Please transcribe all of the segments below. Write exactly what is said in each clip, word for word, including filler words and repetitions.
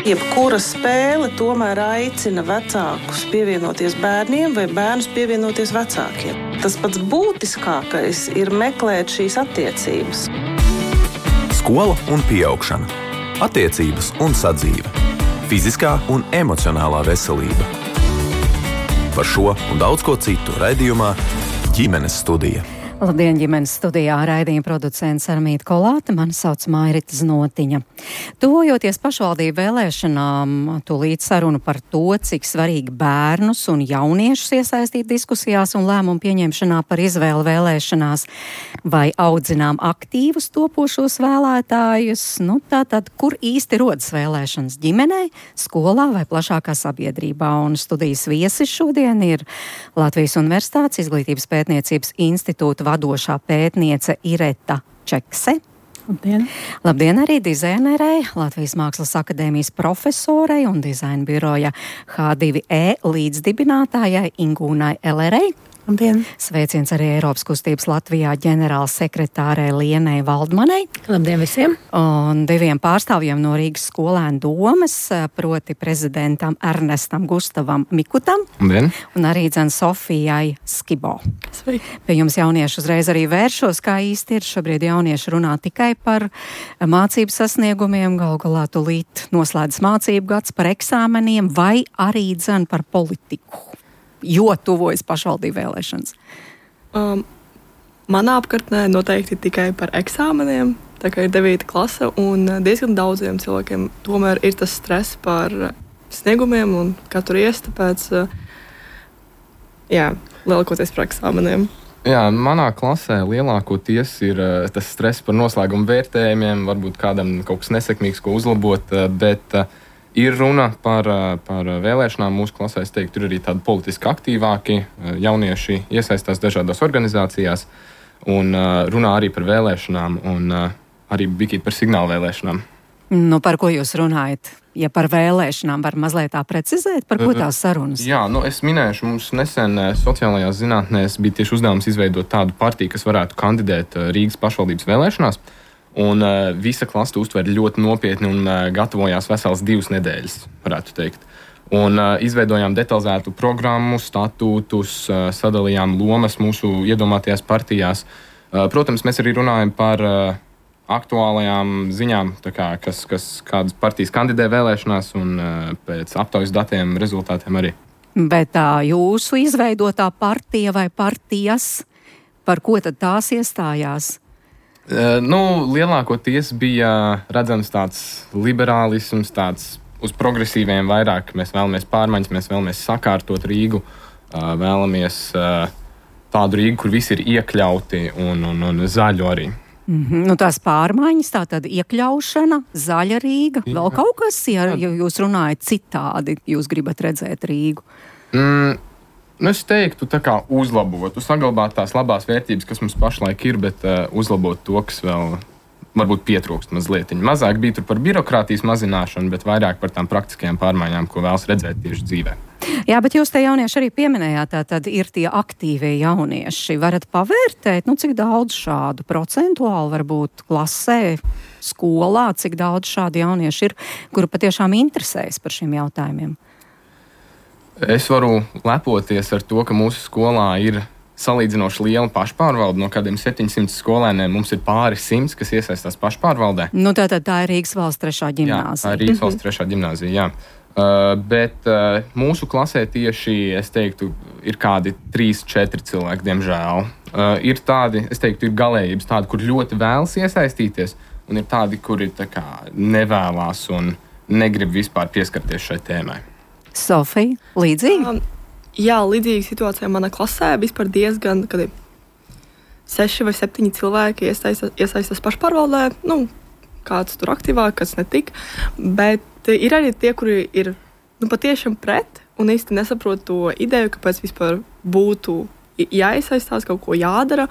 Jebkura spēle tomēr aicina vecākus pievienoties bērniem vai bērnus pievienoties vecākiem. Tas pats būtiskākais ir meklēt šīs attiecības. Skola un pieaugšana, attiecības un sadzīve, fiziskā un emocionālā veselība. Par šo un daudz ko citu raidījumā Ģimenes studija. Labdien, ģimenes studijā raidījuma producents Armīta Kolāte, mani sauc Mairita Znotiņa. Tuvojoties pašvaldību vēlēšanām, tūlīt sarunu par to, cik svarīgi bērnus un jauniešus iesaistīt diskusijās un lēmumu pieņemšanā par izvēli vēlēšanās, vai audzinām aktīvus topošos vēlētājus, nu tātad, kur īsti rodas vēlēšanas ģimenei, skolā vai plašākā sabiedrībā. Un studijas viesis šodien ir Latvijas Universitātes Izglītības pētniecības institūta vadošā pētniece Ireta Čekse. Labdien! Labdien arī dizainerei, Latvijas Mākslas akadēmijas profesorei un dizaina biroja H divi E līdzdibinātājai Ingūnai Elerei. Labdien! Sveiciens arī Eiropas kustības Latvijā ģenerāla sekretārei Lienai Valdmanai. Labdien visiem! Un diviem pārstāvjiem no Rīgas skolēnu domes, proti prezidentam Ernestam Gustavam Mikutam. Labdien! Un arī dzen Sofijai Skibo. Sveiki! Pie jums jaunieši uzreiz arī vēršos, kā īsti ir. Šobrīd jaunieši runā tikai par mācību sasniegumiem, gal galā tūlīt noslēdz mācību gads, par eksāmeniem vai arī dzen par politiku, jo tuvojas pašvaldību vēlēšanas. Um, manā apkārtnē noteikti tikai par eksāmeniem, tā kā ir devīta klase, un diezgan daudziem cilvēkiem tomēr ir tas stress par sniegumiem un katru ies, tāpēc, jā, lielākoties par eksāmeniem. Jā, manā klasē lielākoties ir uh, tas stress par noslēgumu vērtējumiem, varbūt kādam kaut kas nesekmīgs, ko uzlabot, uh, bet uh, ir runa par, uh, par vēlēšanām mūsu klasē. Es teiktu, ir arī tādi politiski aktīvāki uh, jaunieši iesaistās dažādās organizācijās un uh, runā arī par vēlēšanām un uh, arī bikīt par signālu vēlēšanām. Nu, par ko jūs runājat? Ja par vēlēšanām var mazliet tā precizēt, par ko tās sarunas? Jā, nu es minēšu, mums nesen sociālajās zinātnēs bija tieši uzdevums izveidot tādu partiju, kas varētu kandidēt Rīgas pašvaldības vēlēšanās. Un uh, visa klase uztver ļoti nopietni un uh, gatavojās veselas divas nedēļas, varētu teikt. Un uh, izveidojām detalizētu programmu, statūtus, uh, sadalījām lomas mūsu iedomātajās partijās. Uh, protams, mēs arī runājam par uh, aktuālajām ziņām, tā kā, kas, kas kādas partijas kandidē vēlēšanās un uh, pēc aptaujas datiem, rezultātiem arī. Bet tā jūsu izveidotā partija vai partijas, par ko tad tās iestājās? Uh, nu, lielākoties bija redzams tāds liberālisms, tāds uz progresīviem vairāk. Mēs vēlamies pārmaiņas, mēs vēlamies sakārtot Rīgu, uh, vēlamies uh, tādu Rīgu, kur visi ir iekļauti un, un, un zaļu arī. Mm-hmm. Nu, tās pārmaiņas, tā tad iekļaušana, zaļa Rīga, Jā. vēl kaut kas, ja, ja jūs runājat citādi, jūs gribat redzēt Rīgu? Mm, nu es teiktu, tā kā uzlabot, saglabāt tās labās vērtības, kas mums pašlaik ir, bet uh, uzlabot to, kas vēl varbūt pietrūkst mazliet. Mazāk bija tur par birokrātijas mazināšanu, bet vairāk par tām praktiskajām pārmaiņām, ko vēlas redzēt tieši dzīvē. Jā, bet jūs te jaunieši arī pieminējāt, tā tad ir tie aktīvie jaunieši. Varat pavērtēt, nu cik daudz šādu procentuāli varbūt klasē, skolā, cik daudz šādu jaunieši ir, kuri patiešām interesējas par šiem jautājumiem? Es varu lepoties ar to, ka mūsu skolā ir salīdzinoši liela pašpārvalde. No kādiem septiņsimt skolēniem mums ir pāri simts, kas iesaistās pašpārvaldē. Nu, tātad tā ir Rīgas valsts trešā ģimnāzija. Jā, tā ir Rīgas valsts trešā ģimnāzija, jā. Uh, bet uh, mūsu klasē tieši, es teiktu, ir kādi trīs, četri cilvēki, diemžēl. Uh, ir tādi, es teiktu, ir galējības tādi, kur ļoti vēlas iesaistīties, un ir tādi, kuri tā kā nevēlās un negrib vispār pieskarties šai tēmai. Sofija, līdzīgi? Um, jā, līdzīga situācija manā klasē. Vispār diezgan, kad ir seši vai septiņi cilvēki iesaistās, iesaistās pašpārvaldē. Nu, kāds tur aktīvāk, kāds netik. Bet ir arī tie, kuri ir nu, patiešām pret un īsti nesaprot to ideju, kāpēc vispār būtu jāiesaistās, kaut ko jādara.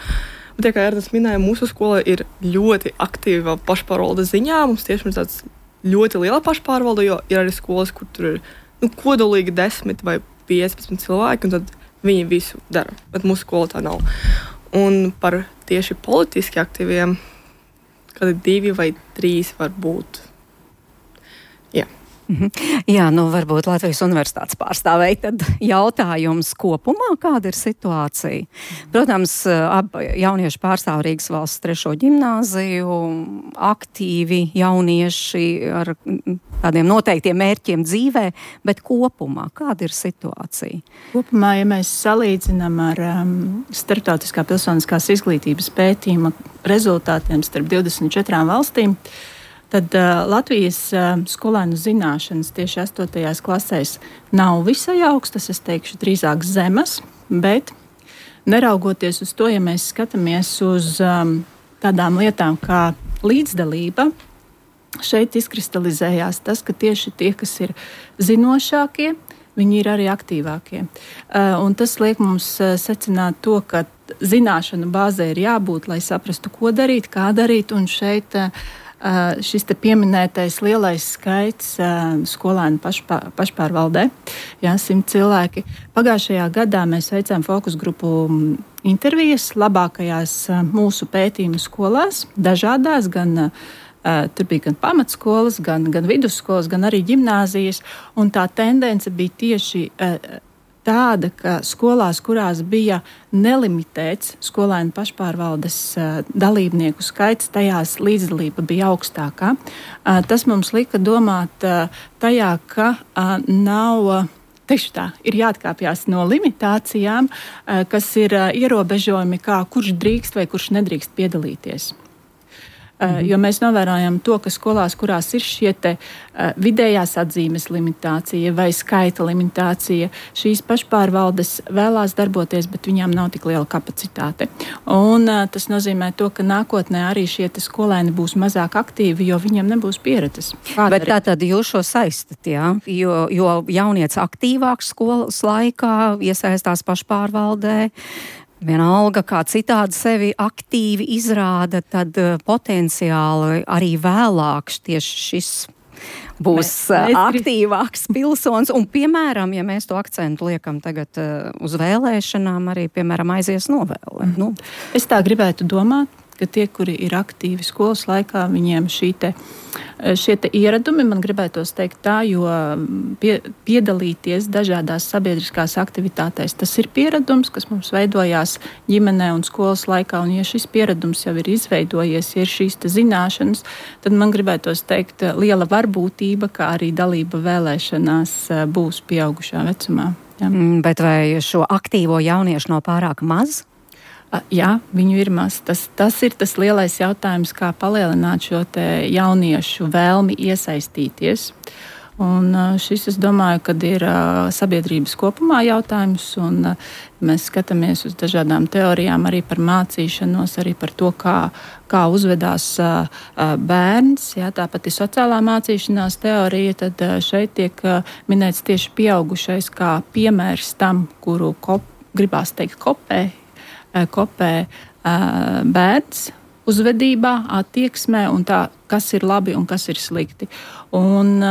Bet, ja, kā Ernsts minēja, mūsu skola ir ļoti aktīva pašpārvaldes ziņā. Mums tiešām ir tāds ļoti liela pašpārvalde, jo ir arī skolas, kur tur ir nu, kodolīgi desmit vai piecpadsmit cilvēki, un tad viņi visu dara. Bet mūsu skola tā nav. Un par tieši politiski aktīviem, kādi divi vai trīs var būt. Jā. Jā, nu varbūt Latvijas universitātes pārstāvēji tad jautājums kopumā, kāda ir situācija? Protams, abi jaunieši pārstāv Rīgas valsts trešo ģimnāziju, aktīvi jaunieši ar tādiem noteiktiem mērķiem dzīvē, bet kopumā kāda ir situācija? Kopumā, ja mēs salīdzinām ar um, starptautiskā pilsoniskās izglītības pētījuma rezultātiem starp divdesmit četrām valstīm, tad uh, Latvijas uh, skolēnu zināšanas tieši astotajās klasēs nav visai augstas, es teikšu drīzāk zemas, bet neraugoties uz to, ja mēs skatāmies uz um, tādām lietām kā līdzdalība, šeit izkristalizējās tas, ka tieši tie, kas ir zinošākie, viņi ir arī aktīvākie. Uh, un tas liek mums uh, secināt to, ka zināšanu bāzē ir jābūt, lai saprastu, ko darīt, kā darīt, un šeit uh, Uh, šis te pieminētais lielais skaits uh, skolēnu pašpār, pašpārvaldē, jā, simt cilvēki. Pagājušajā gadā mēs veicām fokus grupu intervijas labākajās uh, mūsu pētījumu skolās, dažādās, gan uh, tur bija gan pamatskolas, gan, gan vidusskolas, gan arī ģimnāzijas, un tā tendence bija tieši uh, tāda, ka skolās, kurās bija nelimitēts skolēnu pašpārvaldes uh, dalībnieku skaits, tajās līdzdalība bija augstākā. Uh, tas mums lika domāt uh, tajā, ka uh, nav, uh, teikšu tā, ir jāatkāpjas no limitācijām, uh, kas ir uh, ierobežojumi, kā kurš drīkst vai kurš nedrīkst piedalīties. Uh, jo mēs novērojam to, ka skolās, kurās ir šie te uh, vidējās atzīmes limitācija vai skaita limitācija, šīs pašpārvaldes vēlās darboties, bet viņām nav tik liela kapacitāte. Un uh, tas nozīmē to, ka nākotnē arī šie te skolēni būs mazāk aktīvi, jo viņiem nebūs pieredzes. Bet tā tad jūs šo saistat, jā? Jo, jo jaunieci aktīvāks skolas laikā iesaistās pašpārvaldē, vienalga, kā citādi sevi aktīvi izrāda, tad uh, potenciāli arī vēlāk tieši šis būs uh, aktīvāks pilsonis. Un, piemēram, ja mēs to akcentu liekam tagad uh, uz vēlēšanām, arī, piemēram, aizies novēle. Mm. Nu. Es tā gribētu domāt, ka tie, kuri ir aktīvi skolas laikā, viņiem šī te, šie te ieradumi, man gribētos teikt tā, jo pie, piedalīties dažādās sabiedriskās aktivitātēs, tas ir pieredums, kas mums veidojās ģimenē un skolas laikā, un ja šis pieredums jau ir izveidojies, ja ir šīs te zināšanas, tad man gribētos teikt liela varbūtība, kā arī dalība vēlēšanās būs pieaugušā vecumā. Jā. Bet vai šo aktīvo jauniešu nav pārāk maz? Jā, viņu ir maz. Tas, tas ir tas lielais jautājums, kā palielināt šo te jauniešu vēlmi iesaistīties. Un šis, es domāju, kad ir sabiedrības kopumā jautājums, un mēs skatāmies uz dažādām teorijām arī par mācīšanos, arī par to, kā, kā uzvedās bērns. Jā, tāpat ir sociālā mācīšanās teorija, tad šeit tiek minēts tieši pieaugušais kā piemērs tam, kuru kop, gribās teikt kopē, kopē bērns uzvedībā, attieksmē un tā, kas ir labi un kas ir slikti. Un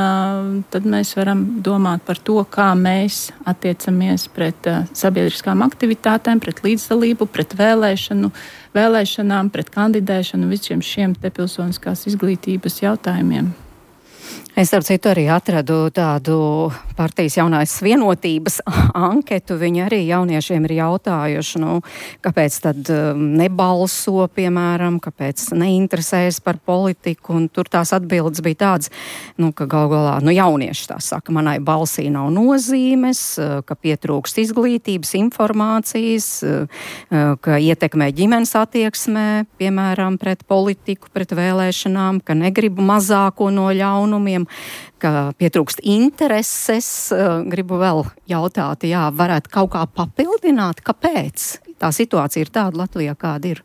tad mēs varam domāt par to, kā mēs attiecamies pret sabiedriskām aktivitātēm, pret līdzdalību, pret vēlēšanu, vēlēšanām, pret kandidēšanu, visiem šiem te pilsoniskās izglītības jautājumiem. Es ar citu arī atradu tādu partijas jaunās vienotības anketu. Viņi arī jauniešiem ir jautājuši, nu, kāpēc tad nebalso, piemēram, kāpēc neinteresējas par politiku, un tur tās atbildes bija tādas, nu, ka gal galā, nu, jaunieši tā saka, manai balsī nav nozīmes, ka pietrūkst izglītības, informācijas, ka ietekmē ģimenes attieksmē, piemēram, pret politiku, pret vēlēšanām, ka negribu mazāko no ļaunumiem, ka pietrūkst intereses. Gribu vēl jautāt, jā, varētu kaut kā papildināt, kāpēc tā situācija ir tāda Latvijā, kāda ir?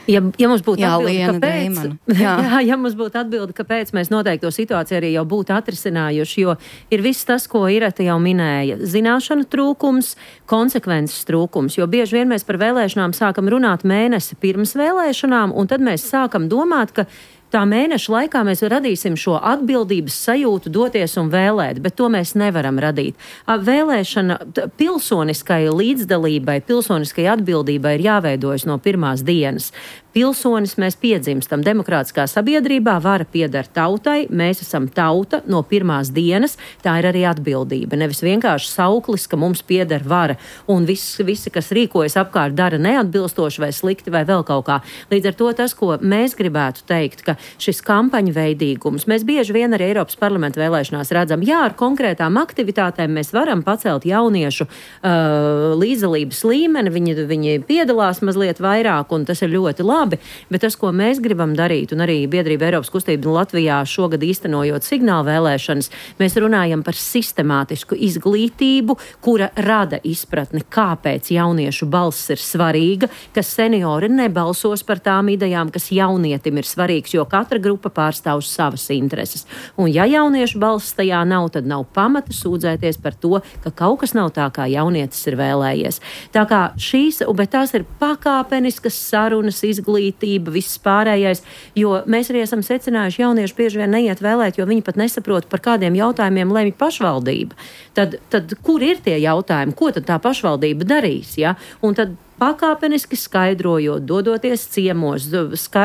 Ja, ja mums būtu jā, atbildi, Liena kāpēc, Deimana. Jā. Jā, ja mums būtu atbildi, kāpēc mēs noteikti to situāciju arī jau būtu atrisinājuši, jo ir viss tas, ko Ireta jau minēja. Zināšanu trūkums, konsekvences trūkums, jo bieži vien mēs par vēlēšanām sākam runāt mēnesi pirms vēlēšanām, un tad mēs sākam domāt, ka tā mēneša laikā mēs radīsim šo atbildības sajūtu doties un vēlēt, bet to mēs nevaram radīt. Vēlēšana pilsoniskai līdzdalībai, pilsoniskai atbildībai ir jāveidojas no pirmās dienas. pilsonis mēs piedzimstam demokrātiskā sabiedrībā, vara pieder tautai, mēs esam tauta no pirmās dienas, tā ir arī atbildība. Nevis vienkārši sauklis, ka mums pieder vara un viss, visi, kas rīkojas apkārt, dara neatbilstoši vai slikti vai vēl kaut kā. Līdz ar to tas, ko mēs gribētu teikt, ka šis kampaņu veidīgums, mēs bieži vien arī Eiropas parlamenta vēlēšanās redzam, jā, ar konkrētām aktivitātēm mēs varam pacelt jauniešu uh, līdzdalības līmeni, viņi, viņi piedalās mazliet vairāk un tas ir ļoti labi. Labi, bet tas, ko mēs gribam darīt, un arī biedrība Eiropas kustība Latvijā šogad īstenojot signālu vēlēšanas, mēs runājam par sistemātisku izglītību, kura rada izpratni, kāpēc jauniešu balss ir svarīga, ka seniori nebalsos par tām idejām, kas jaunietim ir svarīgs, jo katra grupa pārstāv savas intereses. Un ja jauniešu balss tajā nav, tad nav pamata sūdzēties par to, ka kaut kas nav tā, kā jaunietis ir vēlējies. Tā kā šīs, bet tās ir pakāpeniskas sarunas, izglītība, izglītība, viss pārējais, jo mēs arī esam secinājuši, jaunieši bieži vien neiet vēlēt, jo viņi pat nesaprot, par kādiem jautājumiem lemj pašvaldība. Tad, tad kur ir tie jautājumi, ko tad tā pašvaldība darīs? Ja? Un tad pakāpeniski skaidrojot, dodoties ciemos, ska,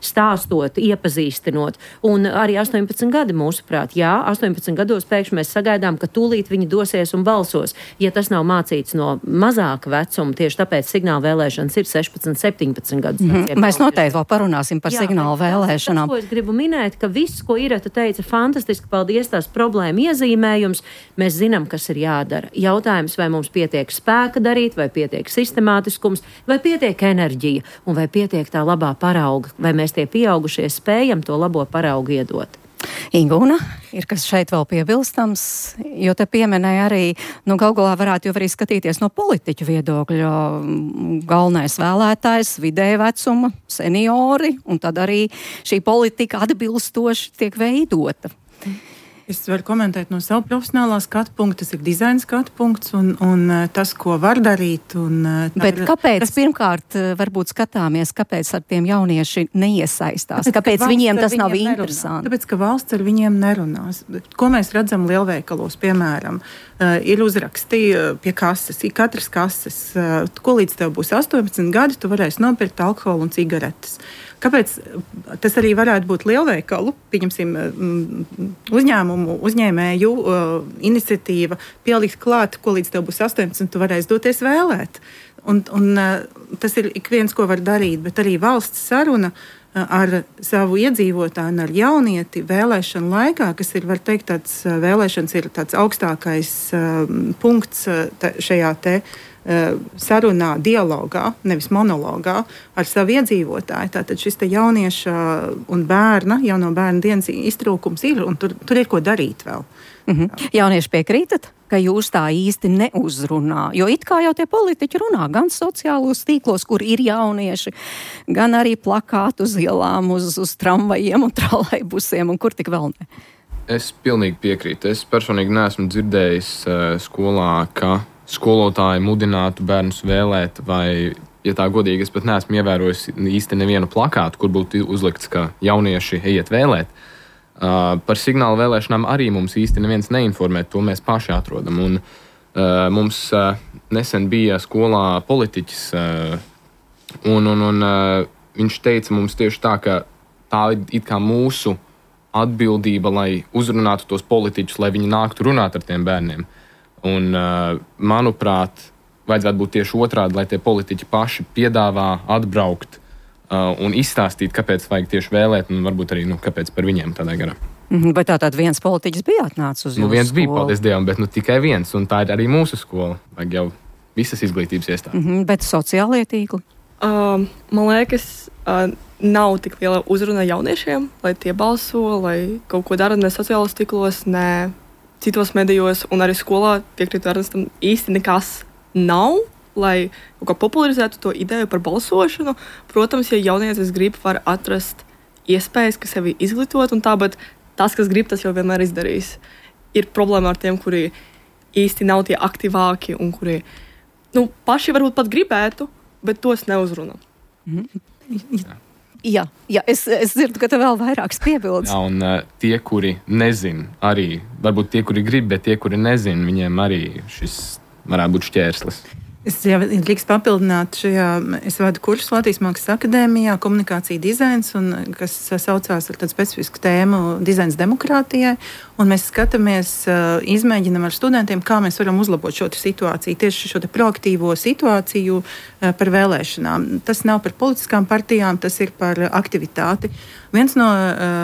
stāstot, iepazīstinot. Un arī astoņpadsmit gadi mūsuprāt. Jā, astoņpadsmit gados pēkšņi mēs sagaidām, ka tūlīt viņi dosies un balsos. Ja tas nav mācīts no mazāka vecuma, tieši tāpēc signāla vēlēšanas ir sešpadsmit, septiņpadsmit gadus. Mm-hmm. Mēs noteikti vēl parunāsim par Jā, signāla vēlēšanām. Tas, ko es gribu minēt, ka viss, ko Ireta teica, fantastiski, paldies, tās problēma iezīmējums. Mēs zinām, kas ir jādara. Jautājums, vai mums pietiek spēka darīt, vai pietiek sistemātiski, vai pietiek enerģija, un vai pietiek tā labā parauga, vai mēs tie pieaugušie spējam to labo paraugu iedot. Ingūna, ir kas šeit vēl piebilstams, jo te pieminēja arī, nu galu galā varētu jau arī skatīties no politiķu viedokļa, galvenais vēlētājs, vidēja vecuma, seniori, un tad arī šī politika atbilstoši tiek veidota. Es varu komentēt no savu profesionālā skatu punktu, tas ir dizaina skatu punkts un, un tas, ko var darīt. Un, Bet ir, kāpēc tas, pirmkārt varbūt skatāmies, kāpēc ar tiem jaunieši neiesaistās? Tāpēc, kāpēc viņiem tas nav interesanti? Tāpēc, ka valsts ar viņiem nerunās. Ko mēs redzam lielveikalos, piemēram, uh, ir uzraksti pie kases, ir katras kases, uh, ko līdz tev būs astoņpadsmit gadi, tu varēsi nopirkt alkoholu un cigaretes. Kāpēc tas arī varētu būt lielveikalu, pieņemsim, uzņēmumu, uzņēmēju uh, iniciatīva pielikt klāt, ko līdz tev būs astoņpadsmit, tu varēsi doties vēlēt. Un, un uh, tas ir ik viens, ko var darīt, bet arī valsts saruna uh, ar savu iedzīvotāju un ar jaunieti vēlēšanu laikā, kas ir, var teikt, tāds uh, vēlēšanas ir tāds augstākais uh, punkts uh, tā, šajā te sarunā, dialogā, nevis monologā ar savu iedzīvotāju. Tātad šis te jaunieša un bērna, jauno bērna dienas iztrūkums ir, un tur, tur ir ko darīt vēl. Mm-hmm. Jaunieši piekrītat, ka jūs tā īsti neuzrunā, jo it kā jau tie politiķi runā gan sociālos tīklos, kur ir jaunieši, gan arī plakātu uz ielām, uz, uz tramvajiem un trolejbusiem, un kur tik vēl ne. Es pilnīgi piekrītu. Es personīgi neesmu dzirdējis uh, skolā, ka skolotāji mudinātu bērnus vēlēt, vai, ja tā godīgi, es pat neesmu ievērojis īsti nevienu plakātu, kur būtu uzlikts, ka jaunieši ejiet vēlēt. Uh, par signālu vēlēšanām arī mums īsti neviens neinformē, to mēs paši atrodam. Un, uh, mums uh, nesen bija skolā politiķis, uh, un, un, un uh, viņš teica mums tieši tā, ka tā ir it kā mūsu atbildība, lai uzrunātu tos politiķus, lai viņi nāktu runāt ar tiem bērniem. Un, uh, manuprāt, vajadzētu būt tieši otrādi, lai tie politiķi paši piedāvā atbraukt uh, un izstāstīt, kāpēc vajag tieši vēlēt, un varbūt arī, nu, kāpēc par viņiem tādā garā. Mm-hmm, bet tā tad viens politiķis bija atnācis uz jūsu nu, viens skolu? Bija, paldies Dievam, bet nu tikai viens, un tā ir arī mūsu skola. Vajag jau visas izglītības iestādes. Mm-hmm, bet sociālie tīkli? Uh, man liekas, uh, nav tik liela uzruna jauniešiem, lai tie balso, lai kaut ko dara ne sociālos tīklos, ne citos medijos, un arī skolā piekrītu Ernestam īsti nekas nav, lai kaut kā popularizētu to ideju par balsošanu. Protams, ja jaunietis grib, var atrast iespējas, ka sevi izglītot, un tā, bet tas, kas grib, tas jau vienmēr izdarīs. Ir problēma ar tiem, kuri īsti nav tie aktīvāki, un kuri, nu, paši varbūt pat gribētu, bet tos neuzrunā. Mm-hmm. Jā, jā es, es dzirdu, ka tev vēl vairākas piebildes. Jā, un uh, tie, kuri nezin, arī, varbūt tie, kuri grib, bet tie, kuri nezin, viņiem arī šis varētu būt šķērslis. Es jau drīkst papildināt šajā, es vadu kursu Latvijas Mākslas akadēmijā, komunikācija dizains, un, kas saucās ar tādu specifisku tēmu dizains demokrātijai, un mēs skatāmies, izmēģinam ar studentiem, kā mēs varam uzlabot šo situāciju, tieši šo te proaktīvo situāciju par vēlēšanām. Tas nav par politiskām partijām, tas ir par aktivitāti. Viens no,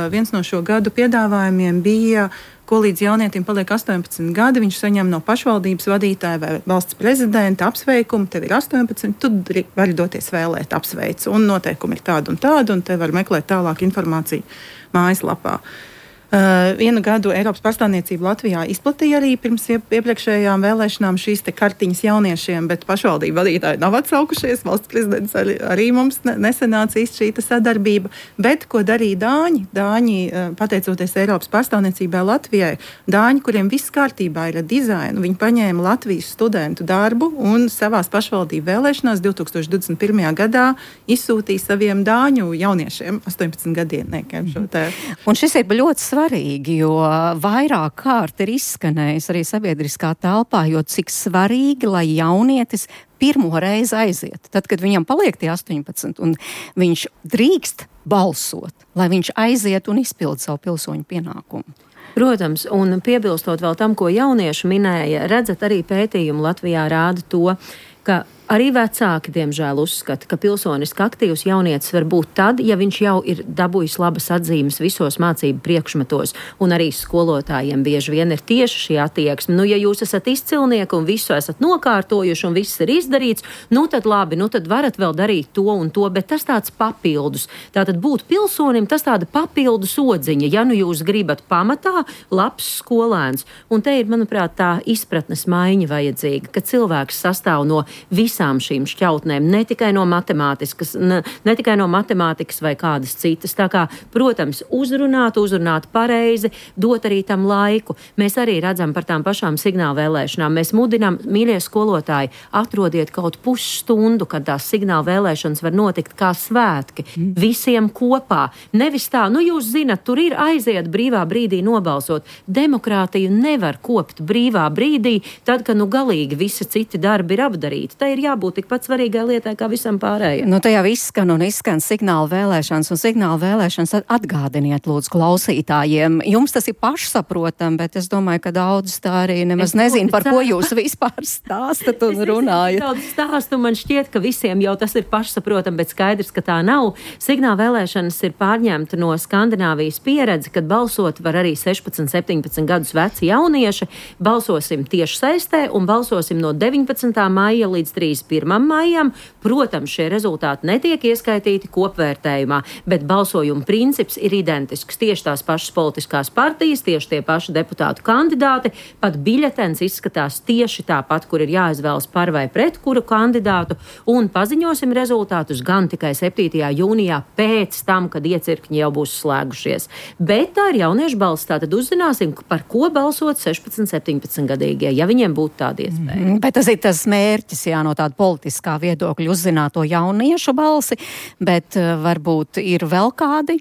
viens no šo gadu piedāvājumiem bija, ko līdz jaunietim paliek astoņpadsmit gadi, viņš saņem no pašvaldības vadītāja vai valsts prezidenta apsveikumu, tev ir astoņpadsmit, tu vari doties vēlēt apsveicu, un noteikumi ir tādi un tādi, un te var meklēt tālāk informāciju mājaslapā. Uh, vienu gadu Eiropas pārstāvniecība Latvijā izplatīja arī pirms iepriekšējām vēlēšanām šīs te kartiņas jauniešiem, bet pašvaldību vadītāji nav atsaukušies, valsts prezidents arī, arī mums nesenāca īsti šī sadarbība, bet ko darīja Dāņi? Dāņi, pateicoties Eiropas pārstāvniecībai Latvijai, Dāņi, kuriem viss kārtībā ir ar dizainu, viņi paņēma Latvijas studentu darbu un savās pašvaldību vēlēšanās divtūkstoš divdesmit pirmajā gadā izsūtīja saviem Dāņu jauniešiem, astoņpadsmit gadiem šo te. Un šis ir ļoti svarīgi. Svarīgi, jo vairāk kārt ir izskanējis arī sabiedriskā telpā, jo cik svarīgi, lai jaunietis pirmo reizi aiziet. Tad, kad viņam paliek tie astoņpadsmit un viņš drīkst balsot, lai viņš aiziet un izpild savu pilsoņu pienākumu. Protams, un piebilstot vēl tam, ko jaunieši minēja, redzat, arī pētījumi Latvijā rāda to, ka arī vecāki, diemžēl, uzskata, ka pilsoniski aktīvs jaunietis var būt tad, ja viņš jau ir dabūjis labas atzīmes visos mācību priekšmetos, un arī skolotājiem bieži vien ir tieši šī attieksme. Nu, ja jūs esat izcilnieki un visu esat nokārtojuši un viss ir izdarīts, nu tad labi, nu tad varat vēl darīt to un to, bet tas tāds papildus. Tātad būt pilsonim, tas tāda papildus odziņa, ja nu jūs gribat pamatā labs skolēns. Un te ir, manuprāt, tā izpratnes maiņa vajadzīga, ka cilvēks sastāv no visām šīm šķautnēm, ne tikai no matemātikas, ne, ne tikai no matemātikas vai kādas citas. Tā kā, protams, uzrunāt, uzrunāt pareizi, dot arī tam laiku. Mēs arī redzam par tām pašām signāla vēlēšanām. Mēs mudinām, mīļie skolotāji, atrodiet kaut pusstundu, kad tās signāla vēlēšanas var notikt kā svētki. Mm. Visiem kopā. Nevis tā, nu jūs zinat, tur ir aiziet brīvā brīdī nobalsot. Demokrātiju nevar kopt brīvā brīdī, tad, kad nu galīgi visi citi darbi ir apdarīti. Tā ir jābūt tikpat svarīgai lietai kā visam pārējiem. Nu, tajā izskan un izskan signāla vēlēšanas, un signāla vēlēšanas atgādiniet, lūdzu, klausītājiem. Jums tas ir pašsaprotam, bet es domāju, ka daudz tā arī nemaz es nezinu, par ko jūs vispār stāstat un runājat. Daudz stāstu, man šķiet, ka visiem jau tas ir pašsaprotam, bet skaidrs, ka tā nav. Signāla vēlēšanas ir pārņemta no Skandināvijas pieredze, kad balsot var arī sešpadsmit, septiņpadsmit gadus veci jaunieši. Balsosim tieši saistē un balsosim no deviņpadsmitā maija līdz trīsdesmit pirmajam maijam. Protams, šie rezultāti netiek ieskaitīti kopvērtējumā, bet balsojuma princips ir identisks. Tieši tās pašas politiskās partijas, tieši tie paši deputātu kandidāti, pat biļetens izskatās tieši tāpat, kur ir jāizvēlas par vai pret kuru kandidātu, un paziņosim rezultātus gan tikai septītajā jūnijā pēc tam, kad iecirkņi jau būs slēgušies. Bet tā ir jauniešu balss, tātad uzzināsim, par ko balsot sešpadsmit, septiņpadsmit gadīgie, ja viņiem būtu tāda iespēja. Mm, bet tas ir tas mērķis, jā, no tāda politiskā viedokļa uzzināt to jauniešu balsi, bet uh, varbūt ir vēl kādi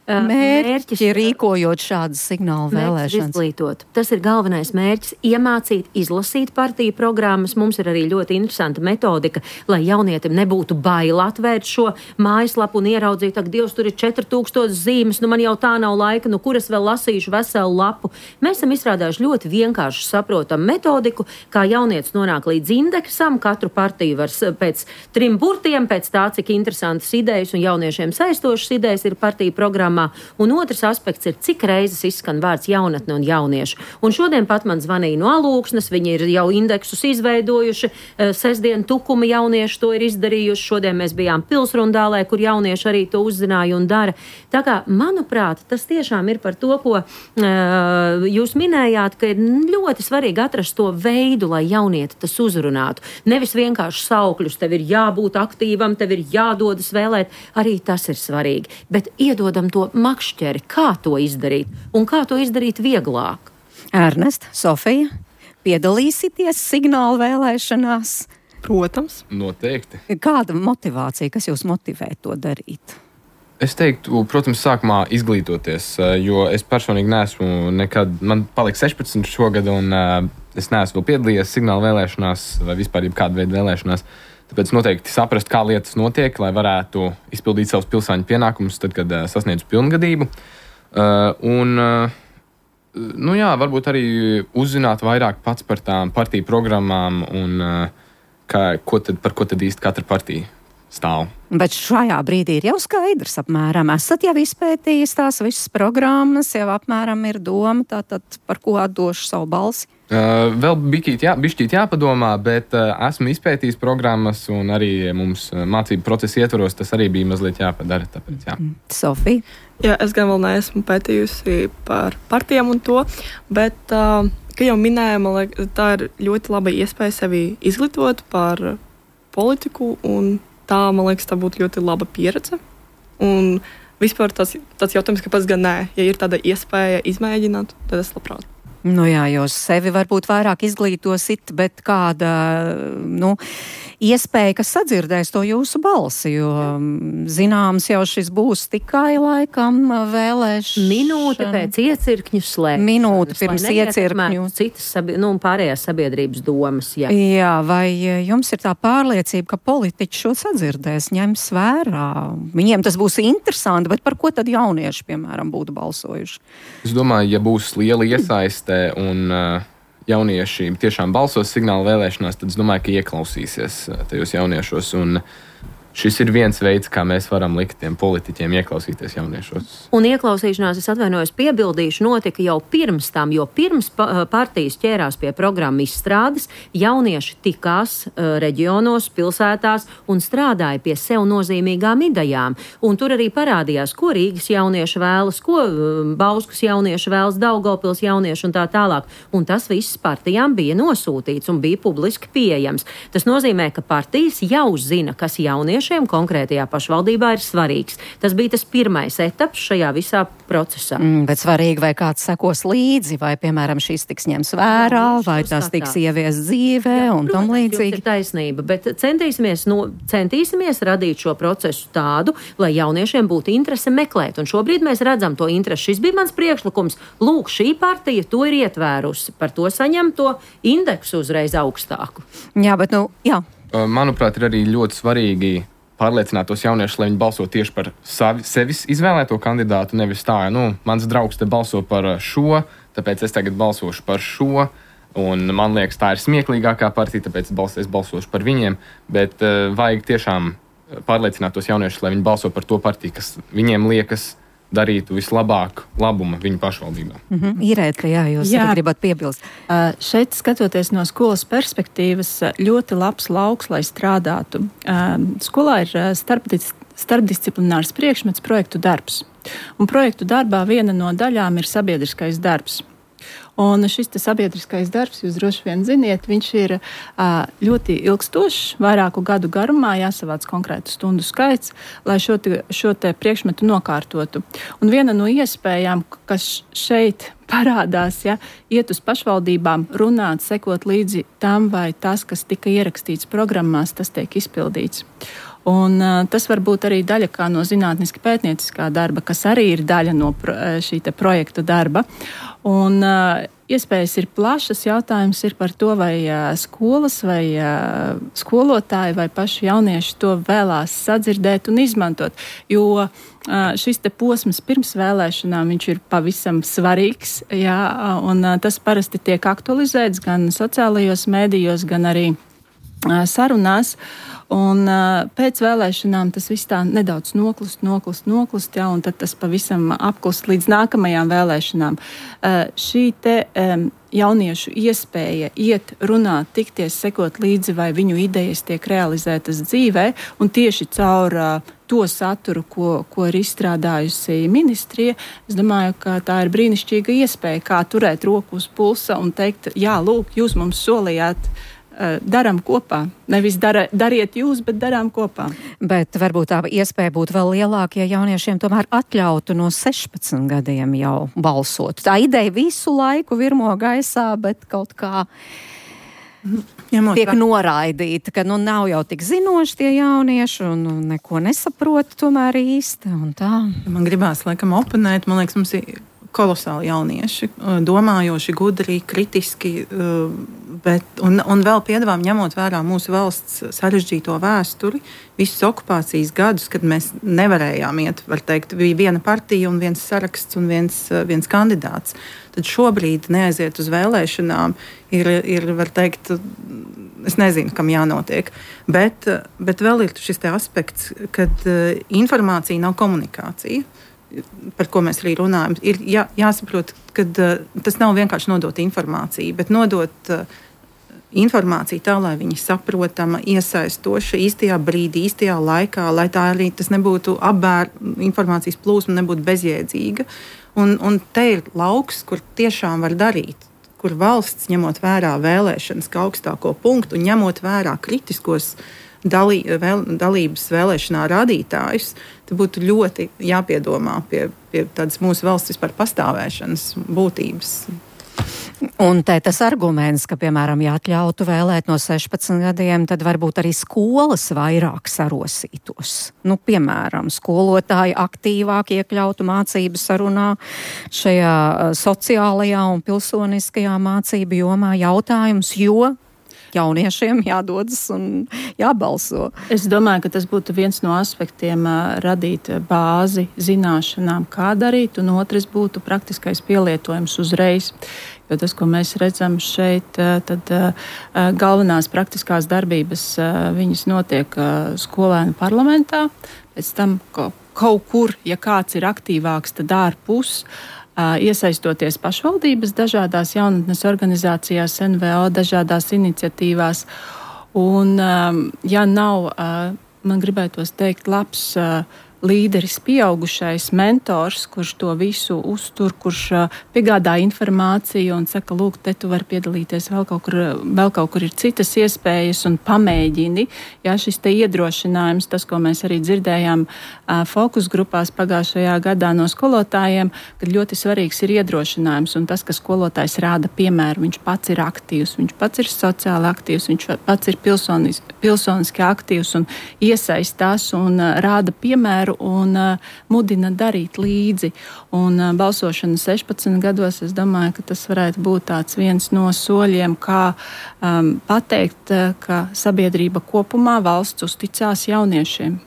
mērķi, rīkojot šādas signāla vēlēšanas. Izglītot. Tas ir galvenais mērķis – iemācīt, izlasīt partiju programmas. Mums ir arī ļoti interesanta metodika, lai jaunietim nebūtu bail atvērt šo mājaslapu un ieraudzīt, ak, Dievs, tur ir četri tūkstoši zīmes, nu man jau tā nav laika, nu kur es vēl lasīšu veselu lapu. Mēs esam izstrādājuši ļoti vienkārši saprotam metodiku, kā jaunietis nonāk līdz indeksam. Katru partiju var pēc trim burtiem, pēc tā, cik interesantas idejas un jauniešiem saistošas idejas ir partiju programmā. Un otrs aspekts ir, cik reizes izskan vārds jaunatne un jaunieši. Un šodien pat man zvanīja no Alūksnes, viņi ir jau indeksus izveidojuši, sestdien Tukuma jaunieši to ir izdarījuši, šodien mēs bijām Pilsrundālē, kur jaunieši arī to uzzināja un dara. Tā kā, manuprāt, tas tiešām ir par to, ko uh, jūs minējāt, ka ir ļoti svarīgi atrast to veidu, lai jaunieti tas uzrunātu. Nevis vienkārši saukļus, tev ir jābūt aktīvam, tev ir jādodas vēlēt, arī tas ir svarīgi. Bet iedodam to makšķeri, kā to izdarīt un kā to izdarīt vieglāk. Ernest, Sofija, piedalīsieties signāla vēlēšanās? Protams. Noteikti. Kāda motivācija, kas jūs motivē to darīt? Es teiktu, protams, sākumā izglītoties, jo es personīgi neesmu nekad, man paliek sešpadsmit šogad, un es neesmu vēl piedalījies signāla vēlēšanās vai vispār jebkāda veida vēlēšanās. Tāpēc noteikti saprast, kā lietas notiek, lai varētu izpildīt savus pilsāņu pienākumus tad, kad uh, sasniedzu pilngadību. Uh, un, uh, nu jā, varbūt arī uzzināt vairāk pats par tām partiju programmām un uh, kā, ko tad, par ko tad īsti katra partija stāv. Bet šajā brīdī ir jau skaidrs apmēram. Esat jau izpētījis tās visas programmas, jau apmēram ir doma, tātad par ko atdošu savu balsi? Uh, vēl bišķīt, jā, bišķīt jāpadomā, bet uh, esmu izpētījis programmas un arī mums uh, mācību procesa ietvaros tas arī bija mazliet jāpadara. Tāpēc, jā. Sofija? Jā, es gan vēl neesmu pētījusi par partijām un to, bet, uh, kā jau minēju, man liekas, tā ir ļoti laba iespēja sevi izglītot par politiku, un tā, man liekas, tā būtu ļoti laba pieredze. Un vispār tas, tas jautājums, kāpēc gan nē, ja ir tāda iespēja izmēģināt, tad es labprāt. Nu jā, jūs sevi varbūt vairāk izglītosit, bet kāda, nu, iespēja, kas sadzirdēs to jūsu balsi, jo zināms jau šis būs tikai laikam vēlēšana. Minūte pēc iecirkņu slēgšanas. Minūte pirms iecirkņu. Citas, sabi- nu, pārējās sabiedrības domas, jā. Jā, vai jums ir tā pārliecība, ka politiķi šo sadzirdēs, ņems vērā? Viņiem tas būs interesanti, bet par ko tad jaunieši, piemēram, būtu balsojuši? Es domāju, ja būs liela iesaiste un uh, jaunieši tiešām balsos signāla vēlēšanās, tad es domāju, ka ieklausīsies uh, tajos jauniešos. Un šis ir viens veids, kā mēs varam likt tiem politiķiem ieklausīties jauniešos. Un ieklausīšanās, es atvainojos, piebildīšu, notika jau pirms tam, jo pirms pa, partijas ķērās pie programmu izstrādes, jaunieši tikās uh, reģionos, pilsētās un strādāja pie sev nozīmīgām idejām. Un tur arī parādījās, ko Rīgas jaunieši vēlas, ko uh, Bauskas jaunieši vēlas, Daugavpils jaunieši un tā tālāk. Un tas viss partijām bija nosūtīts un bija publiski pieejams. Tas nozīmē, ka partijas jau zina, kas jaunieši konkrētajā pašvaldībā ir svarīgs. Tas bija tas pirmais etaps šajā visā procesā. Mm, bet svarīgi, vai kāds sekos līdzi, vai, piemēram, šis tiks ņems vērā, jā, vai tas skatās. Tiks ievies dzīvē, jā, un tam līdzīgi. Ir taisnība, bet centīsimies, no, centīsimies radīt šo procesu tādu, lai jauniešiem būtu interese meklēt. Un šobrīd mēs redzam to interesi. Šis bija mans priekšlikums. Lūk, šī partija to ir ietvērusi. Par to saņem to indeksu uzreiz augstāku. Jā, bet, nu, jā. Manuprāt, ir arī ļoti svarīgi pārliecināt tos jauniešus, lai viņi balso tieši par savi, sevis izvēlēto kandidātu, nevis tā, nu, mans draugs te balso par šo, tāpēc es tagad balsošu par šo, un man liekas, tā ir smieklīgākā partija, tāpēc es balsošu par viņiem, bet uh, vajag tiešām pārliecināt tos jauniešus, lai viņi balso par to partiju, kas viņiem liekas darītu vislabāk labuma viņu pašvaldībā. Mm-hmm. Irēta, jā, jūs jā. gribat piebilst. Uh, šeit, skatoties no skolas perspektīvas, ļoti labs lauks, lai strādātu. Uh, skolā ir starpdis, starpdisciplinārs priekšmets projektu darbs. Un projektu darbā viena no daļām ir sabiedriskais darbs. Un šis sabiedriskais darbs, jūs droši vien ziniet, viņš ir uh, ļoti ilgstošs, vairāku gadu garumā, jāsavāc konkrētu stundu skaits, lai šo te, šo te priekšmetu nokārtotu. Un viena no iespējām, kas šeit parādās, ja, iet uz pašvaldībām, runāt, sekot līdzi tam, vai tas, kas tika ierakstīts programmās, tas tiek izpildīts. Un, uh, tas var būt arī daļa kā no zinātniski pētnieciskā darba, kas arī ir daļa no pro, šī te projektu darba. Un, uh, iespējas ir plašas, jautājums ir par to, vai uh, skolas, vai uh, skolotāji, vai paši jaunieši to vēlās sadzirdēt un izmantot. Jo uh, šis te posms pirms vēlēšanām, viņš ir pavisam svarīgs, jā, un uh, tas parasti tiek aktualizēts gan sociālajos mēdījos, gan arī uh, sarunās. Un uh, pēc vēlēšanām tas viss tā nedaudz noklust, noklust, noklust, jā, un tad tas pavisam apklust līdz nākamajām vēlēšanām. Uh, šī te um, jauniešu iespēja iet, runāt, tikties, sekot līdzi, vai viņu idejas tiek realizētas dzīvē, un tieši caur uh, to saturu, ko, ko ir izstrādājusi ministrija, es domāju, ka tā ir brīnišķīga iespēja, kā turēt roku uz pulsa un teikt, jā, lūk, jūs mums solījāt, darām kopā. Nevis dara, dariet jūs, bet darām kopā. Bet varbūt tā iespēja būtu vēl lielāka, ja jauniešiem tomēr atļautu no sešpadsmit gadiem jau balsot. Tā ideja visu laiku virmo gaisā, bet kaut kā Ņemot tiek noraidīta, ka nu nav jau tik zinoši tie jaunieši un nu, neko nesaprot tomēr īsti un tā. Man gribās laikam oponēt, man liekas, mums ir kolosāli jaunieši, domājoši, gudri, kritiski, bet, un, un vēl piedāvājam, ņemot vērā mūsu valsts sarežģīto vēsturi, visus okupācijas gadus, kad mēs nevarējām iet, var teikt, bija viena partija un viens saraksts un viens, viens kandidāts. Tad šobrīd neaiziet uz vēlēšanām ir, ir, var teikt, es nezinu, kam jānotiek. Bet, bet vēl ir šis te aspekts, kad informācija nav komunikācija, par ko mēs arī runājam. Ir jā, jāsaprot, ka tas nav vienkārši nodot informāciju, bet nodot informāciju tā, lai viņi saprotama, iesaistoša, īstajā brīdī, īstajā laikā, lai tā arī tas nebūtu apbēr, informācijas plūsma nebūtu bezjēdzīga. Un, un te ir lauks, kur tiešām var darīt, kur valsts, ņemot vērā vēlēšanas kā augstāko punktu un ņemot vērā kritiskos dalī, vēl, dalības vēlēšanā rādītājus, tad būtu ļoti jāpiedomā pie, pie tādas mūsu valsts vispār pastāvēšanas būtības. Un te tas arguments, ka, piemēram, ja atļautu vēlēt no sešpadsmit gadiem, tad varbūt arī skolas vairāk sarosītos. Nu, piemēram, skolotāji aktīvāk iekļautu mācību sarunā šajā sociālajā un pilsoniskajā mācību jomā jautājums, jo jauniešiem jādodas un jābalso. Es domāju, ka tas būtu viens no aspektiem radīt bāzi zināšanām, kā darīt, un otrs būtu praktiskais pielietojums uzreiz. Jo tas, ko mēs redzam šeit, tad galvenās praktiskās darbības viņas notiek skolēnu parlamentā, pēc tam kaut kur, ja kāds ir aktīvāks, tad ārpus, iesaistoties pašvaldības dažādās jaunatnes organizācijās, N V O, dažādās iniciatīvās. Un, ja nav, man gribētos teikt, labs līderis, pieaugušais mentors, kurš to visu uztur, kurš piegādā informāciju un saka, lūk, te tu vari piedalīties, vēl kaut kur, vēl kaut kur ir citas iespējas un pamēģini. Jā, šis te iedrošinājums, tas, ko mēs arī dzirdējām fokus grupās pagājušajā gadā no skolotājiem, kad ļoti svarīgs ir iedrošinājums un tas, ka skolotājs rāda piemēru, viņš pats ir aktīvs, viņš pats ir sociāli aktīvs, viņš pats ir pilsonis, pilsoniski aktīvs un iesaistās un rāda piemēru un uh, mudina darīt līdzi. Un uh, balsošana sešpadsmit gados, es domāju, ka tas varētu būt tāds viens no soļiem, kā um, pateikt, uh, ka sabiedrība kopumā valsts uzticās jauniešiem.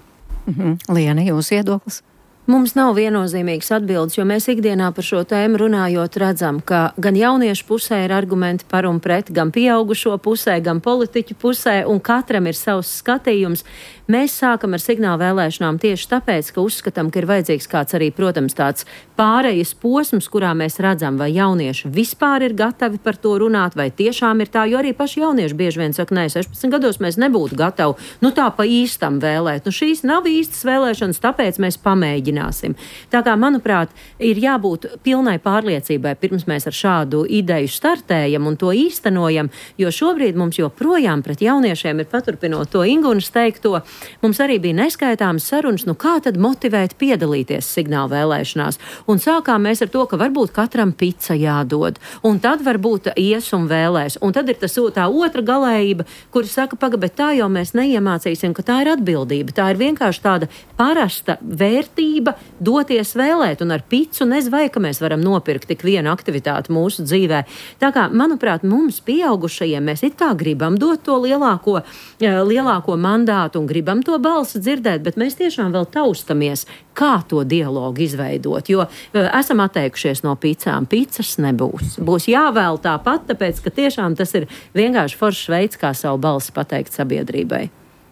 Mhm. Liena, jūs viedoklis? Mums nav viennozīmīgas atbildes, jo mēs ikdienā par šo tēmu runājot redzam, ka gan jauniešu pusē ir argumenti par un pret, gan pieaugušo pusē, gan politiķu pusē, un katram ir savs skatījums. Mēs sākam ar signālu vēlēšanām tieši tāpēc, ka uzskatām, ka ir vajadzīgs kāds arī, protams, tāds pārejas posms, kurā mēs redzam, vai jaunieši vispār ir gatavi par to runāt, vai tiešām ir tā, jo arī paši jaunieši bieži vien saka, nē, sešpadsmit gados mēs nebūtu gatavi, nu tā pa īstam vēlēt. Nu šīs nav īstas vēlēšanas, tāpēc mēs pamēģināsim. Tā kā, manuprāt, ir jābūt pilnai pārliecībai, pirms mēs ar šādu ideju startējam un to īstenojam, jo šobrīd mums joprojām pret jauniešiem ir, paturpinot to Ingunas teikto, mums arī bija neskaitāmas sarunas, nu kā tad motivēt piedalīties signālu vēlēšanās. Un sākām mēs ar to, ka varbūt katram pica jādod, un tad varbūt ies un vēlēs. Un tad ir tas, tā otra galējība, kuri saka, paga, bet tā jau mēs neiemācīsim, ka tā ir atbildība. Tā ir vienkārši tāda parasta vērtība doties vēlēt, un ar picu nezvai, ka mēs varam nopirkt tik vienu aktivitāti mūsu dzīvē. Tā kā, manuprāt, mums pieaugušajiem mēs it kā gribam dot to lielāko, lielāko mandātu un gribam to balsi dzirdēt, bet mēs tiešām vēl taustamies, kā to dialogu izveidot, jo esam atteikušies no picām. Picas nebūs. Būs jāvēl tāpat, tāpēc, ka tiešām tas ir vienkārši foršs veids, kā savu balsi pateikt sabiedrībai.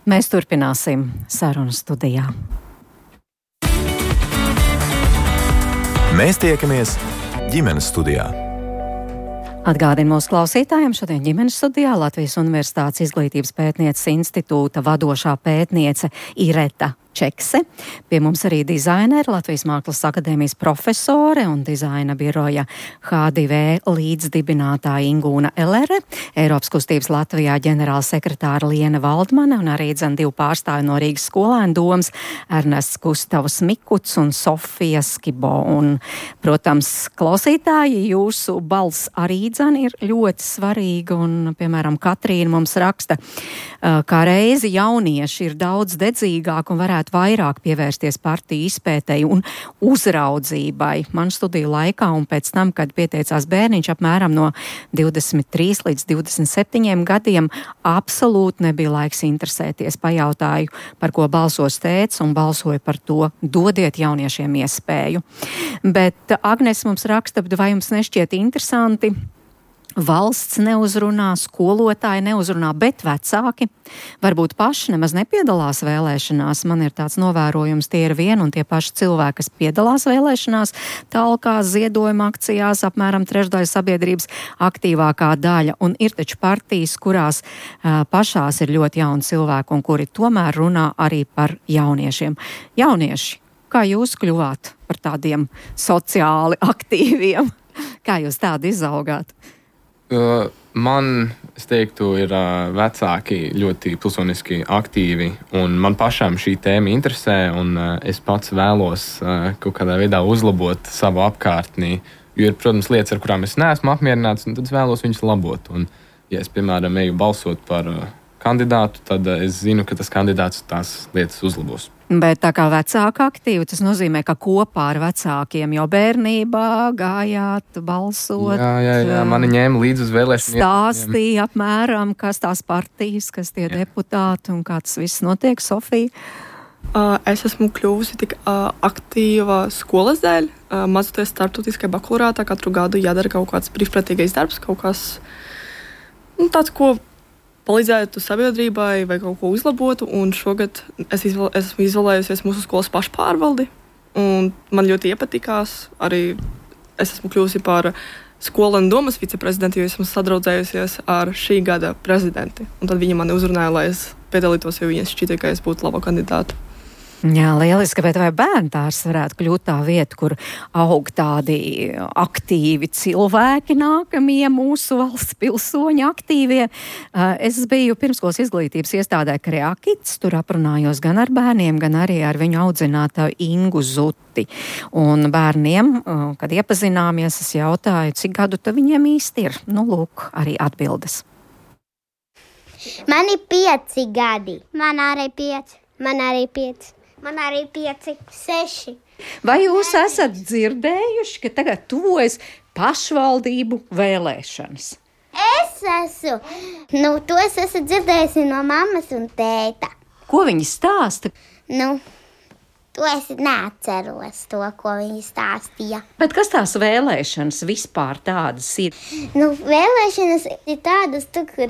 Mēs turpināsim sarunu studijā. Mēs tiekamies ģimenes studijā. Atgādinu mūsu klausītājiem, šodien ģimenes studijā Latvijas Universitātes Izglītības pētnieces institūta vadošā pētniece Ireta Čekse. Pie mums arī dizaineri, Latvijas Mākslas akadēmijas profesore un dizaina biroja H divi V līdzdibinātāja Ingūna Elere, Eiropas kustības Latvijā ģenerāla sekretāra Liena Valdmane un arī dzen divu pārstāvi no Rīgas skolēnu domas Ernests Gustavs Mikuts un Sofija Skibo. Un, protams, klausītāji, jūsu balss arī dzen ir ļoti svarīga un, piemēram, Katrīna mums raksta, kā reizi jaunieši ir daudz dedzīgāk un varētu varētu vairāk pievērsties partiju izpētei un uzraudzībai. Man studiju laikā un pēc tam, kad pieteicās bērniņš apmēram no divdesmit trīs līdz divdesmit septiņiem gadiem, absolūti nebija laiks interesēties. Pajautāju, par ko balsos tēvs, un balsoju par to, dodiet jauniešiem iespēju. Bet Agnes mums raksta, vai jums nešķiet interesanti? Valsts neuzrunā, skolotāji neuzrunā, bet vecāki varbūt paši nemaz nepiedalās vēlēšanās. Man ir tāds novērojums, tie ir vien un tie paši cilvēki, kas piedalās vēlēšanās, talkās, ziedojuma akcijās, apmēram trešdaļa sabiedrības aktīvākā daļa. Un ir taču partijas, kurās uh, pašās ir ļoti jauni cilvēki un kuri tomēr runā arī par jauniešiem. Jaunieši, kā jūs kļuvāt par tādiem sociāli aktīviem? Kā jūs tādi izaugāt? Uh, man, es teiktu, ir uh, vecāki ļoti pilsoniski aktīvi, un man pašām šī tēma interesē, un uh, es pats vēlos uh, kaut kādā veidā uzlabot savu apkārtnī, jo ir, protams, lietas, ar kurām es neesmu apmierināts, un tad es vēlos viņus labot. Un, ja es, piemēram, eju balsot par uh, kandidātu, tad uh, es zinu, ka tas kandidāts tās lietas uzlabos. Bet tā kā vecāka aktīva, tas nozīmē, ka kopā ar vecākiem jau bērnībā gājāt, balsot. Jā, jā, jā. Mani ņēma līdzi uz vēlēšanu. Stāstīja apmēram, kas tās partijas, kas tie jā. Deputāti un kā tas viss notiek, Sofija? Uh, es esmu kļuvusi tik uh, aktīva skolas dēļ. Uh, Mācoties starptautiskajā bakalaureātā, katru gadu jādara kaut kāds brīvprātīgais darbs, kaut kas nu, tāds, ko palīdzētu sabiedrībai vai kaut ko uzlabotu, un šogad es izvēl, esmu izvēlējusies mūsu skolas pašpārvaldi, un man ļoti iepatikās. Arī es esmu kļuvusi par skolēnu domas viceprezidentu, jo esmu sadraudzējusies ar šī gada prezidenti, un tad viņi mani uzrunāja, lai es piedalītos, jo viņi šķita, ka es būtu laba kandidāta. Jā, lieliski, bet vai bērntārs varētu kļūt tā vieta, kur aug tādi aktīvi cilvēki, nākamie mūsu valsts pilsoņi aktīvie? Es biju pirmskolas izglītības iestādē Kreakits, tur aprunājos gan ar bērniem, gan arī ar viņu audzinātāju Ingu Zuti. Un bērniem, kad iepazināmies, es jautāju, cik gadu tad viņiem īsti ir? Nu, lūk, arī atbildes. Man ir pieci gadi. Man arī pieci. Man arī pieci. Man arī pieci, seši. Vai jūs esat dzirdējuši, ka tagad tuvojas pašvaldību vēlēšanas? Es esmu. Nu, to es esmu dzirdējusi no mammas un tēta. Ko viņi stāsta? Nu, to es neatceros, to, ko viņi stāstīja. Bet kas tās vēlēšanas vispār tādas ir? Nu, vēlēšanas ir tādas, tu, kur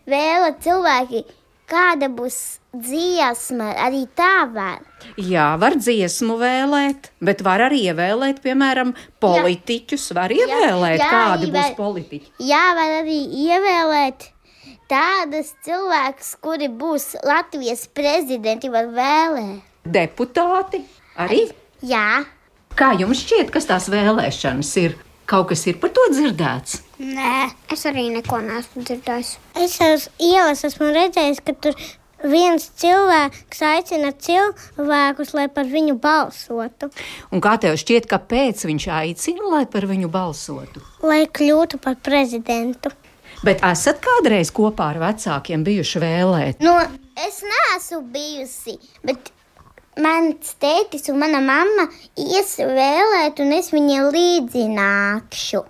vēla cilvēki, kāda būs dziesma, arī tā var. Jā, var dziesmu vēlēt, bet var arī ievēlēt, piemēram, politiķus. Var ievēlēt, jā, jā, kādi būs var, politiķi. Jā, var arī ievēlēt tādas cilvēkus, kuri būs Latvijas prezidenti, var vēlēt. Deputāti arī? Jā. Kā jums šķiet, kas tās vēlēšanas ir? Kaut kas ir par to dzirdēts? Nē, es arī neko neesmu dzirdējis. Es uz ielas esmu redzējis, ka tur viens cilvēks aicina cilvēkus, lai par viņu balsotu. Un kā tev šķiet, kāpēc viņš aicina, lai par viņu balsotu? Lai kļūtu par prezidentu. Bet esat kādreiz kopā ar vecākiem bijuši vēlēt? Nu, es neesmu bijusi, bet mans tētis un mana mamma ies vēlēt, un es viņiem līdzi nākšu.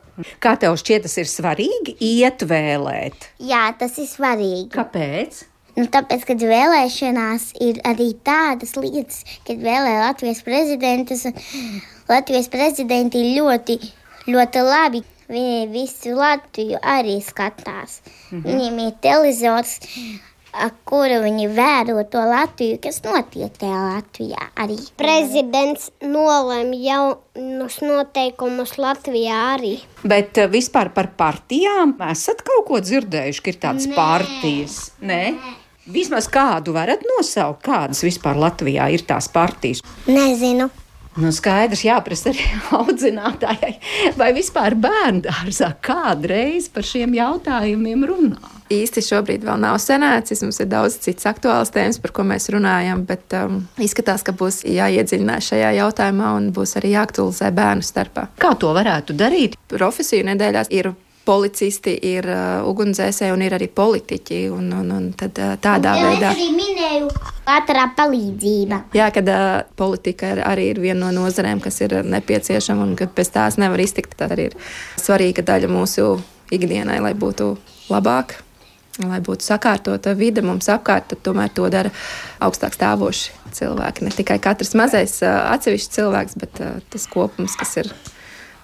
Kā tev šķiet, tas ir svarīgi iet vēlēt? Jā, tas ir svarīgi. Kāpēc? Nu, tāpēc, kad vēlēšanās ir arī tādas lietas, kad vēlē Latvijas prezidentus, Latvijas prezidenti ļoti, ļoti labi. Viņi visu Latviju arī skatās. Mhm. Viņiem ir televizors, kuru viņi vēro to Latviju, kas notiek tajā Latvijā arī. Prezidents nolēma jaunus noteikumus Latvijā arī. Bet vispār par partijām esat kaut ko dzirdējuši, ka ir tādas Nē. partijas? Nē? Nē. Vismaz kādu varat nosaukt, kādas vispār Latvijā ir tās partijas? Nezinu. Nu, skaidrs, jāprasa arī audzinātājai, vai vispār bērndārzā kādreiz par šiem jautājumiem runā? Īsti šobrīd vēl nav sanācis, mums ir daudz citas aktuālas tēmas, par ko mēs runājam, bet um, izskatās, ka būs jāiedziļinās šajā jautājumā un būs arī jāaktualizē bērnu starpā. Kā to varētu darīt? Profesiju nedēļās ir policisti, ir uh, ugunsdzēsēji un ir arī politiķi. Un, un, un tad, uh, tādā ja veidā. Es arī minēju ātrā palīdzība. Jā, kad uh, politika ir, arī ir viena no nozarēm, kas ir nepieciešama un ka bez tās nevar iztikt. Tā arī ir svarīga daļa mūsu ikdienai, lai būtu labāk, lai būtu sakārtota vide mums apkārt, tad tomēr to dara augstāk stāvoši cilvēki. Ne tikai katrs mazais uh, atsevišķs cilvēks, bet uh, tas kopums, kas ir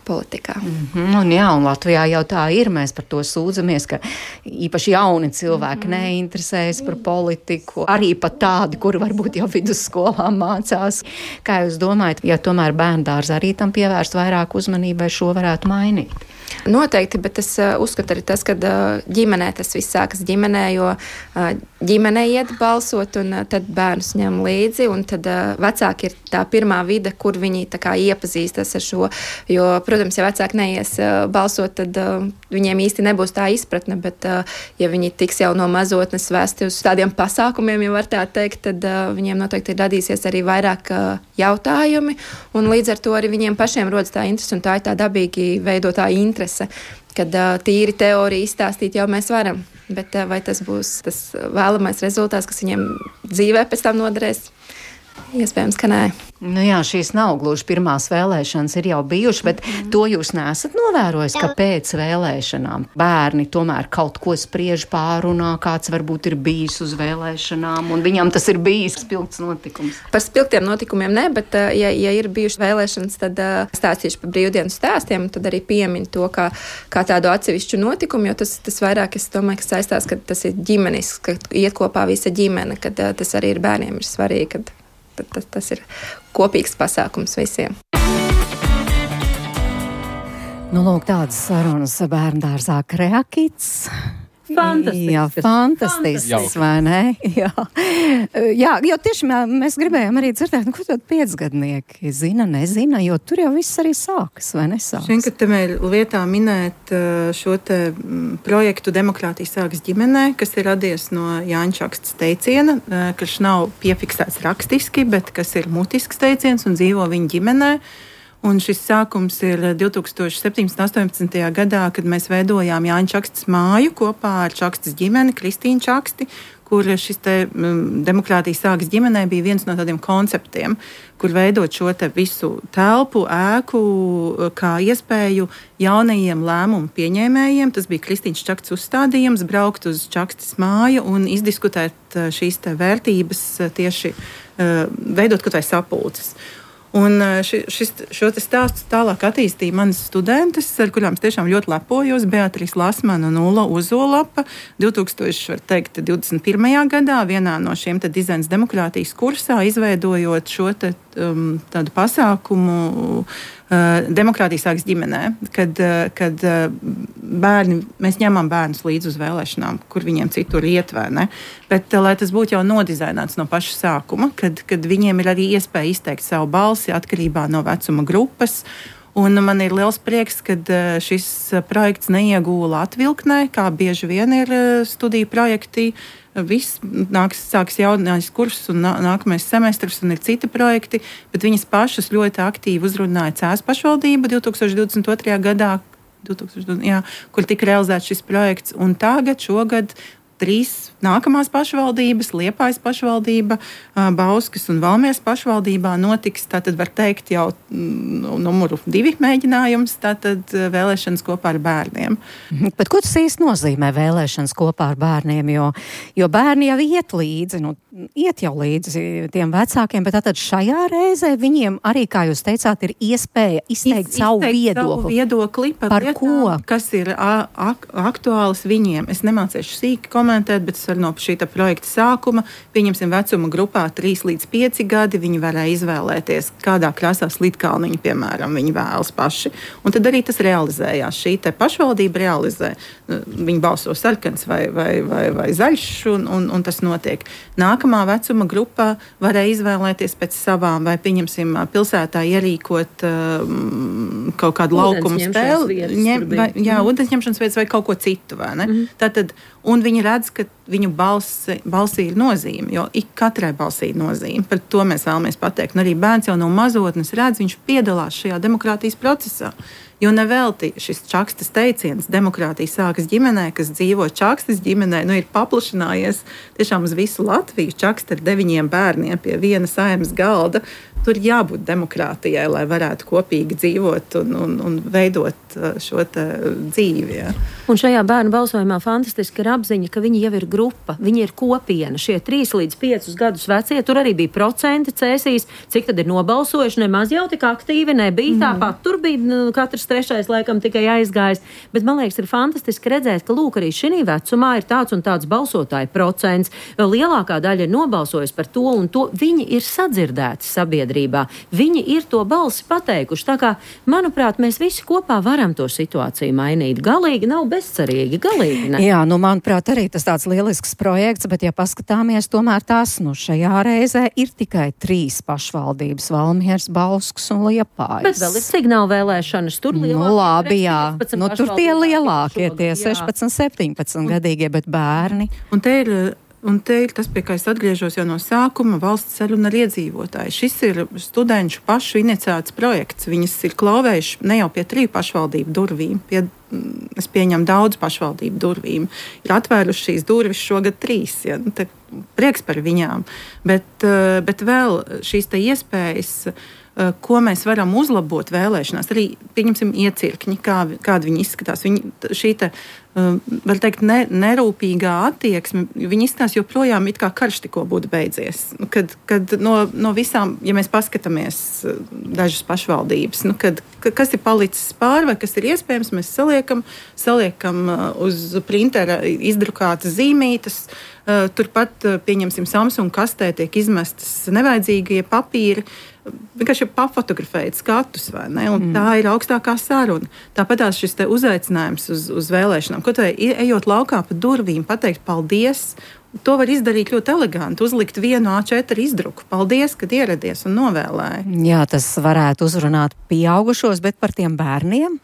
politikā. Mm-hmm, un jā, un Latvijā jau tā ir, mēs par to sūdzamies, ka īpaši jauni cilvēki mm-hmm. neinteresējas par politiku, arī pat tādi, kuri varbūt jau vidusskolā mācās. Kā jūs domājat, ja tomēr bērndārs arī tam pievērst vairāk uzmanībai, šo varētu mainīt? Noteikti, bet es uh, uzskatu arī tas, ka uh, ģimenē tas viss sākas ģimenē, jo uh, ģimenē iet balsot un uh, tad bērnus ņem līdzi un tad uh, vecāki ir tā pirmā vide, kur viņi tā kā iepazīstas ar šo, jo, protams, ja vecāki neies uh, balsot, tad uh, viņiem īsti nebūs tā izpratne, bet uh, ja viņi tiks jau no mazotnes vēsti uz tādiem pasākumiem, ja var tā teikt, tad uh, viņiem noteikti ir radīsies arī vairāk uh, jautājumi un līdz ar to arī viņiem pašiem rodas tā interese un tā ir tā dabīgi veidotā interese. Kad uh, tīri teoriju izstāstīt jau mēs varam, bet uh, vai tas būs tas vēlamais rezultāts, kas viņiem dzīvē pēc tam noderēs? Iespējams, ka nē. Nu jā, šīs nav gluži pirmās vēlēšanas, ir jau bijušas, bet mm. to jūs neesat novērojis, ka pēc vēlēšanām bērni tomēr kaut ko spriež pārunā, kāds varbūt ir bijis uz vēlēšanām, un viņam tas ir bijis spilgts notikums. Par spilgtiem notikumiem ne, bet ja, ja ir bijušas vēlēšanas, tad stāstīšu par brīvdienu stāstiem, un tad arī piemin to kā, kā tādu atsevišķu notikumu, jo tas, tas vairāk, es domāju, ka saistās, ka tas ir ģimenis, ka iet kopā visa ģimene, kad tas arī ir bērniem ir svarīgi, kad Tas, tas ir kopīgs pasākums visiem. Nu, lūk, tādas sarunas bērndārzā Kreakits. Fantastisks. Jā, fantastisks, vai ne? Jā. Jā, jo tieši mēs gribējām arī dzirdēt, nu, ko tad piecgadnieki zina, nezina, jo tur jau viss arī sākas, vai nesākas? Šeit, ka te vēl vietā minēt šo te projektu Demokrātija sākas ģimenē, kas ir radies no Jāņa Čakstes teiciena, kas nav piefiksēts rakstiski, bet kas ir mutisks teiciens un dzīvo viņa ģimenē. Un šis sākums ir divtūkstoš septiņpadsmitajā un astoņpadsmitajā gadā, kad mēs veidojām Jāņa Čakstes māju kopā ar Čakstes ģimeni, Kristīnu Čaksti, kur šis te um, Demokrātija sākas ģimenē bija viens no tādiem konceptiem, kur veidot šo te visu telpu, ēku, kā iespēju jaunajiem lēmumu pieņēmējiem. Tas bija Kristīnas Čakstes uzstādījums, braukt uz Čakstes māju un izdiskutēt šīs te vērtības tieši uh, veidot kaut vai sapulces. Un ši, šis, šo te stāstu tālāk attīstīja manas studentes, ar kurām es tiešām ļoti lepojos, Beatrīs Lasmana un Ulla Uzolapa, divdesmit pirmajā gadā vienā no šiem te dizains demokrātijas kursā, izveidojot šo te, um, tādu pasākumu uh, Demokrātija sākas ģimenē, kad, uh, kad uh, bērni, mēs ņemam bērnus līdz uz vēlēšanām, kur viņiem citur iet vai ne, bet uh, lai tas būtu jau nodizaināts no paša sākuma, kad, kad viņiem ir arī iespēja izteikt savu balsi, atkarībā no vecuma grupas. Un man ir liels prieks, ka šis projekts neiegūla atvilknē, kā bieži vien ir studiju projekti. Viss nāks, sāks jaunais kurs un nākamais semestrs un ir citi projekti, bet viņas pašas ļoti aktīvi uzrunāja Cēsu pašvaldību divtūkstoš divdesmit otrajā gadā, divtūkstoš divdesmit, jā, kur tika realizēts šis projekts. Un tagad, šogad, trīs nākamās pašvaldības, Liepājas pašvaldība, Bauskas un Valmieras pašvaldībā notiks, tātad var teikt jau numuru divi mēģinājums, tātad vēlēšanas kopā ar bērniem. Bet ko tas īsti nozīmē vēlēšanas kopā ar bērniem, jo, jo bērni jau iet līdzi, nu, iet jau līdzi tiem vecākiem, bet tātad šajā reizē viņiem arī, kā jūs teicāt, ir iespēja izteikt Iz, savu viedokli. Savu viedokli par, par lietām, ko? Kas ir ak- aktuāls viņiem. Es nemācēšu sīki komentēt, bet no šī projekta sākuma, pieņemsim vecuma grupā trīs līdz pieci gadi, viņi varēja izvēlēties, kādā krāsā slitkalniņu, piemēram, viņi vēlas paši. Un tad arī tas realizējās. Šī te pašvaldība realizē. Viņi balso sarkans vai, vai, vai, vai zaļš, un, un, un tas notiek. Nākamā vecuma grupā varēja izvēlēties pēc savām, vai pieņemsim pilsētā ierīkot um, kaut kādu laukumu spēli. Ņem, vai, jā, ūdensņemšanas vietas vai kaut ko citu, vai ne? Mm-hmm. Tātad, un viņi redz, ka viņu balsi, balsī ir nozīme, jo ik katrai balsī ir nozīme. Par to mēs vēlamies pateikt. Un arī bērns jau no mazotnes redz, viņš piedalās šajā demokrātijas procesā. Jo nevelti šis Čakstas teiciens, demokrātija sākas ģimenē, kas dzīvo Čakstas ģimenē, nu ir paplašinājies tiešām uz visu Latviju. Čaksta ar deviņiem bērniem pie viena saimnes galda. Tur jābūt demokrātijai, lai varētu kopīgi dzīvot un, un, un veidot šo dzīvi. Ja. Un šajā bērnu balsojumā fantastiski ir apziņa, ka viņi jau ir grupa, viņi ir kopiena. Šie trīs līdz piecus gadus vecie, tur arī bija procenti cēsīs, cik tad ir nobalsojuši, nemaz jau tik aktīvi nebija. Mm. Tāpat tur bija nu, katrs trešais laikam tikai aizgājis. Bet man liekas, ir fantastiski redzēt, ka lūk, arī šī vecumā ir tāds un tāds balsotāju procents. Lielākā daļa ir nobalsojusi par to un to. Viņi ir sadzirdēti sabiedrībā. Viņi ir to balsi pateikuši. Tā kā, manuprāt, mēs visi kopā varam to situāciju mainīt. Galīgi nav bezcerīgi, galīgi ne. Jā, nu, manuprāt, arī tas tāds lielisks projekts, bet, ja paskatāmies, tomēr tās, nu, šajā reizē ir tikai trīs pašvaldības - Valmiers, Bauskas un Liepājas. Bet vēl ir signāla vēlēšanas, tur lielākie. Nu, labi, jā. Nu, tur tie lielākie, tie sešpadsmit, septiņpadsmit gadīgie, bet bērni. Un te ir Un te ir tas, pie kā es atgriežos jau no sākuma, valsts saruna ar iedzīvotāju. Šis ir studenšu pašu iniciēts projekts. Viņas ir klauvējuši ne jau pie triju pašvaldību durvīm, pie, es pieņemu daudz pašvaldību durvīm. Ir atvēruši šīs durvis šogad trīs. Ja? Te prieks par viņām. Bet, bet vēl šīs te iespējas, ko mēs varam uzlabot vēlēšanās, arī, pieņemsim, iecirkņi, kā, kādi viņi izskatās. Viņi, šī te, var teikt, ne, nerūpīgā attieksme, viņi izskatās joprojām it kā karš tikko būtu beidzies. Kad, kad no, no visām, ja mēs paskatāmies dažas pašvaldības, nu, kad, kas ir palicis pāri vai kas ir iespējams, mēs saliekam, saliekam uz printera izdrukātas zīmītas, turpat, pieņemsim, Samsung kastē tiek izmestas nevajadzīgie papīri, vienkārši papfotografēt skatus, vai ne? Un mm. tā ir augstākā saruna. Tāpatās šis te uzaicinājums uz, uz vēlēšanām, ko tai ejot laukā pa durvīm, pateikt paldies, to var izdarīt ļoti eleganti, uzlikt vienu A četri izdruku. Paldies, kad ieradies un novēlēji. Jā, tas varētu uzrunāt pieaugušos, bet par tiem bērniem?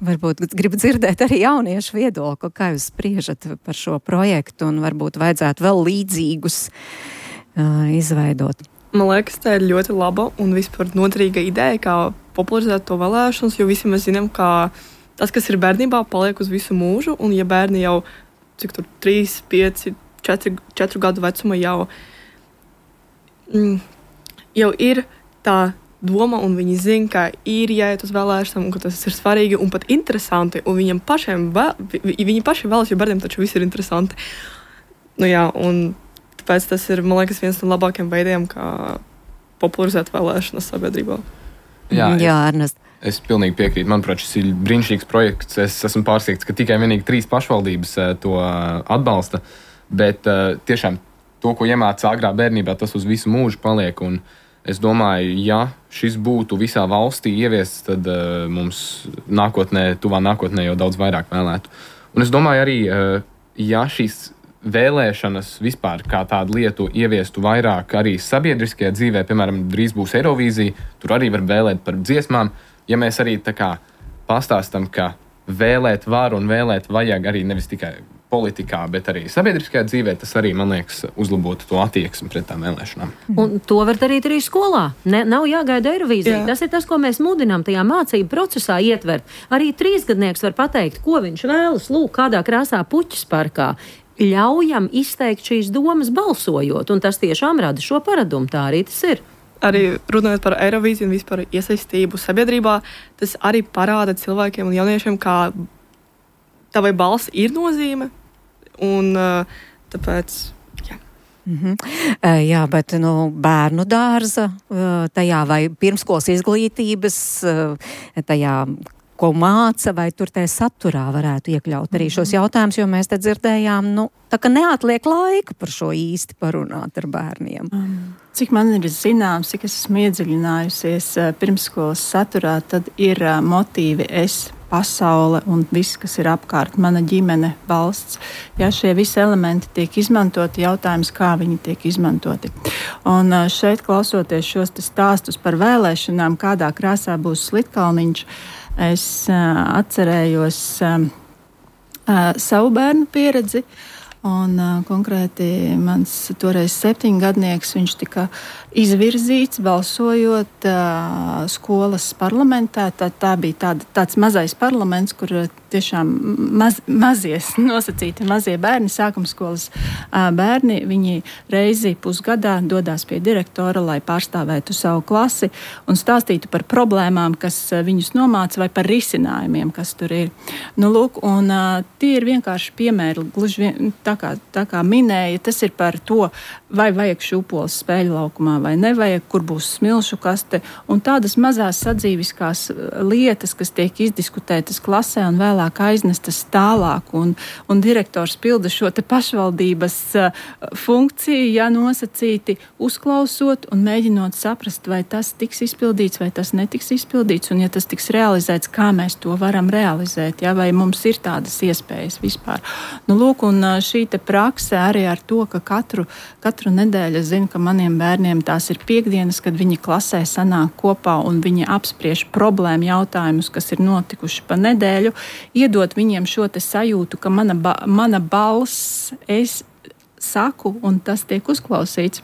Varbūt gribu dzirdēt arī jauniešu viedokli, kā jūs spriežat par šo projektu un varbūt vajadzētu vēl līdzīgus uh, izveidot. Man liekas, tā ir ļoti laba un vispār noderīga ideja, kā popularizēt to vēlēšanas, jo visi mēs zinām, ka tas, kas ir bērnībā, paliek uz visu mūžu, un ja bērni jau, cik tur, trīs, pieci, četru gadu vecuma jau, mm, jau ir tā doma, un viņi zina, ka ir jāiet uz vēlēšanām, un ka tas ir svarīgi un pat interesanti, un viņiem pašiem, vēl, viņi paši vēlas, jo bērniem taču viss ir interesanti. Nu jā, un tāpēc tas ir, man liekas, viens no labākiem veidiem, kā popularizēt vēlēšanas sabiedrībā. Jā, Jā Ernest. Es, es pilnīgi piekrītu. Manuprāt, šis ir brīnišķīgs projekts. Es esmu pārsteigts, ka tikai vienīgi trīs pašvaldības to atbalsta, bet tiešām to, ko iemāca agrā bērnībā, tas uz visu mūžu paliek. Un es domāju, ja šis būtu visā valstī ieviests, tad uh, mums nākotnē, tuvā nākotnē jau daudz vairāk vēlētu. Un es domāju arī, uh, ja šīs vēlēšanas vispār kā tādu lietu ieviestu vairāk arī sabiedriskajā dzīvē, piemēram, drīz būs Eirovīzija, tur arī var vēlēt par dziesmām. Ja mēs arī tā kā pastāstam, ka vēlēt var un vēlēt vajag arī nevis tikai politikā, bet arī sabiedriskajā dzīvē, tas arī, man liekas, uzlabotu to attieksmi pret tām vēlēšanām. Un to var darīt arī skolā. Ne, nav jāgaida Eirovīzija. Tas ir tas, ko mēs mudinām tajā mācību procesā ietvert. Arī trīsgadnieks var pateikt, ko viņš vēlas, lūk, kādā krāsā puķis parkā. Ļaujam izteikt šīs domas balsojot, un tas tiešām rada šo paradumu. Tā arī tas ir. Arī runājot par Eirovīziju un vispār iesaistību sabiedrībā, tas arī parāda cilvēkiem un jauniešiem, kā tavai balss ir nozīme, un uh, tāpēc, jā. Mm-hmm. Uh, jā, bet nu, bērnu dārza uh, tajā vai pirmskolas izglītības uh, tajā, ko māca, vai tur tajā saturā varētu iekļaut arī šos jautājumus, jo mēs te dzirdējām, nu, tā ka neatliek laika par šo īsti parunāt ar bērniem. Um, cik man ir zināms, cik es esmu iedziļinājusies uh, pirmskolas saturā, tad ir uh, motīvi es, pasaule un viss, kas ir apkārt, mana ģimene, valsts. Ja šie visi elementi tiek izmantoti, jautājums, kā viņi tiek izmantoti. Un uh, šeit, klausoties šos stāstus par vēlēšanām, kādā krāsā būs Slitkalniņš, es uh, atcerējos uh, uh, savu bērnu pieredzi, Un uh, konkrēti mans toreiz septiņgadnieks, viņš tika izvirzīts balsojot uh, skolas parlamentā. Tā, tā bija tāda, tāds mazais parlaments, kur tiešām maz, mazie nosacīti mazie bērni, sākumskolas uh, bērni, viņi reizi pusgadā dodās pie direktora, lai pārstāvētu savu klasi un stāstītu par problēmām, kas viņus nomāca, vai par risinājumiem, kas tur ir. Nu, lūk, un uh, tie ir vienkārši piemēri, gluži vien, tā kā, tā kā minēja, tas ir par to, vai vajag šūpoles spēļu laukumā, vai nevajag, kur būs smilšu kaste, un tādas mazās sadzīviskās lietas, kas tiek izdiskutētas klasē un vēlāk aiznestas tālāk, un, un direktors pilda šo te pašvaldības uh, funkciju, ja nosacīti uzklausot un mēģinot saprast, vai tas tiks izpildīts, vai tas netiks izpildīts, un ja tas tiks realizēts, kā mēs to varam realizēt, ja, vai mums ir tādas iespējas vispār. Nu, lūk, un šī te prakse arī ar to, ka katru, katru nedēļu es zinu, ka maniem bērniem tās ir piekdienas, kad viņi klasē sanāk kopā un viņi apspriež problēmu jautājumus, kas ir notikuši pa nedēļu, iedot viņiem šo te sajūtu, ka mana, ba- mana balss, es saku un tas tiek uzklausīts.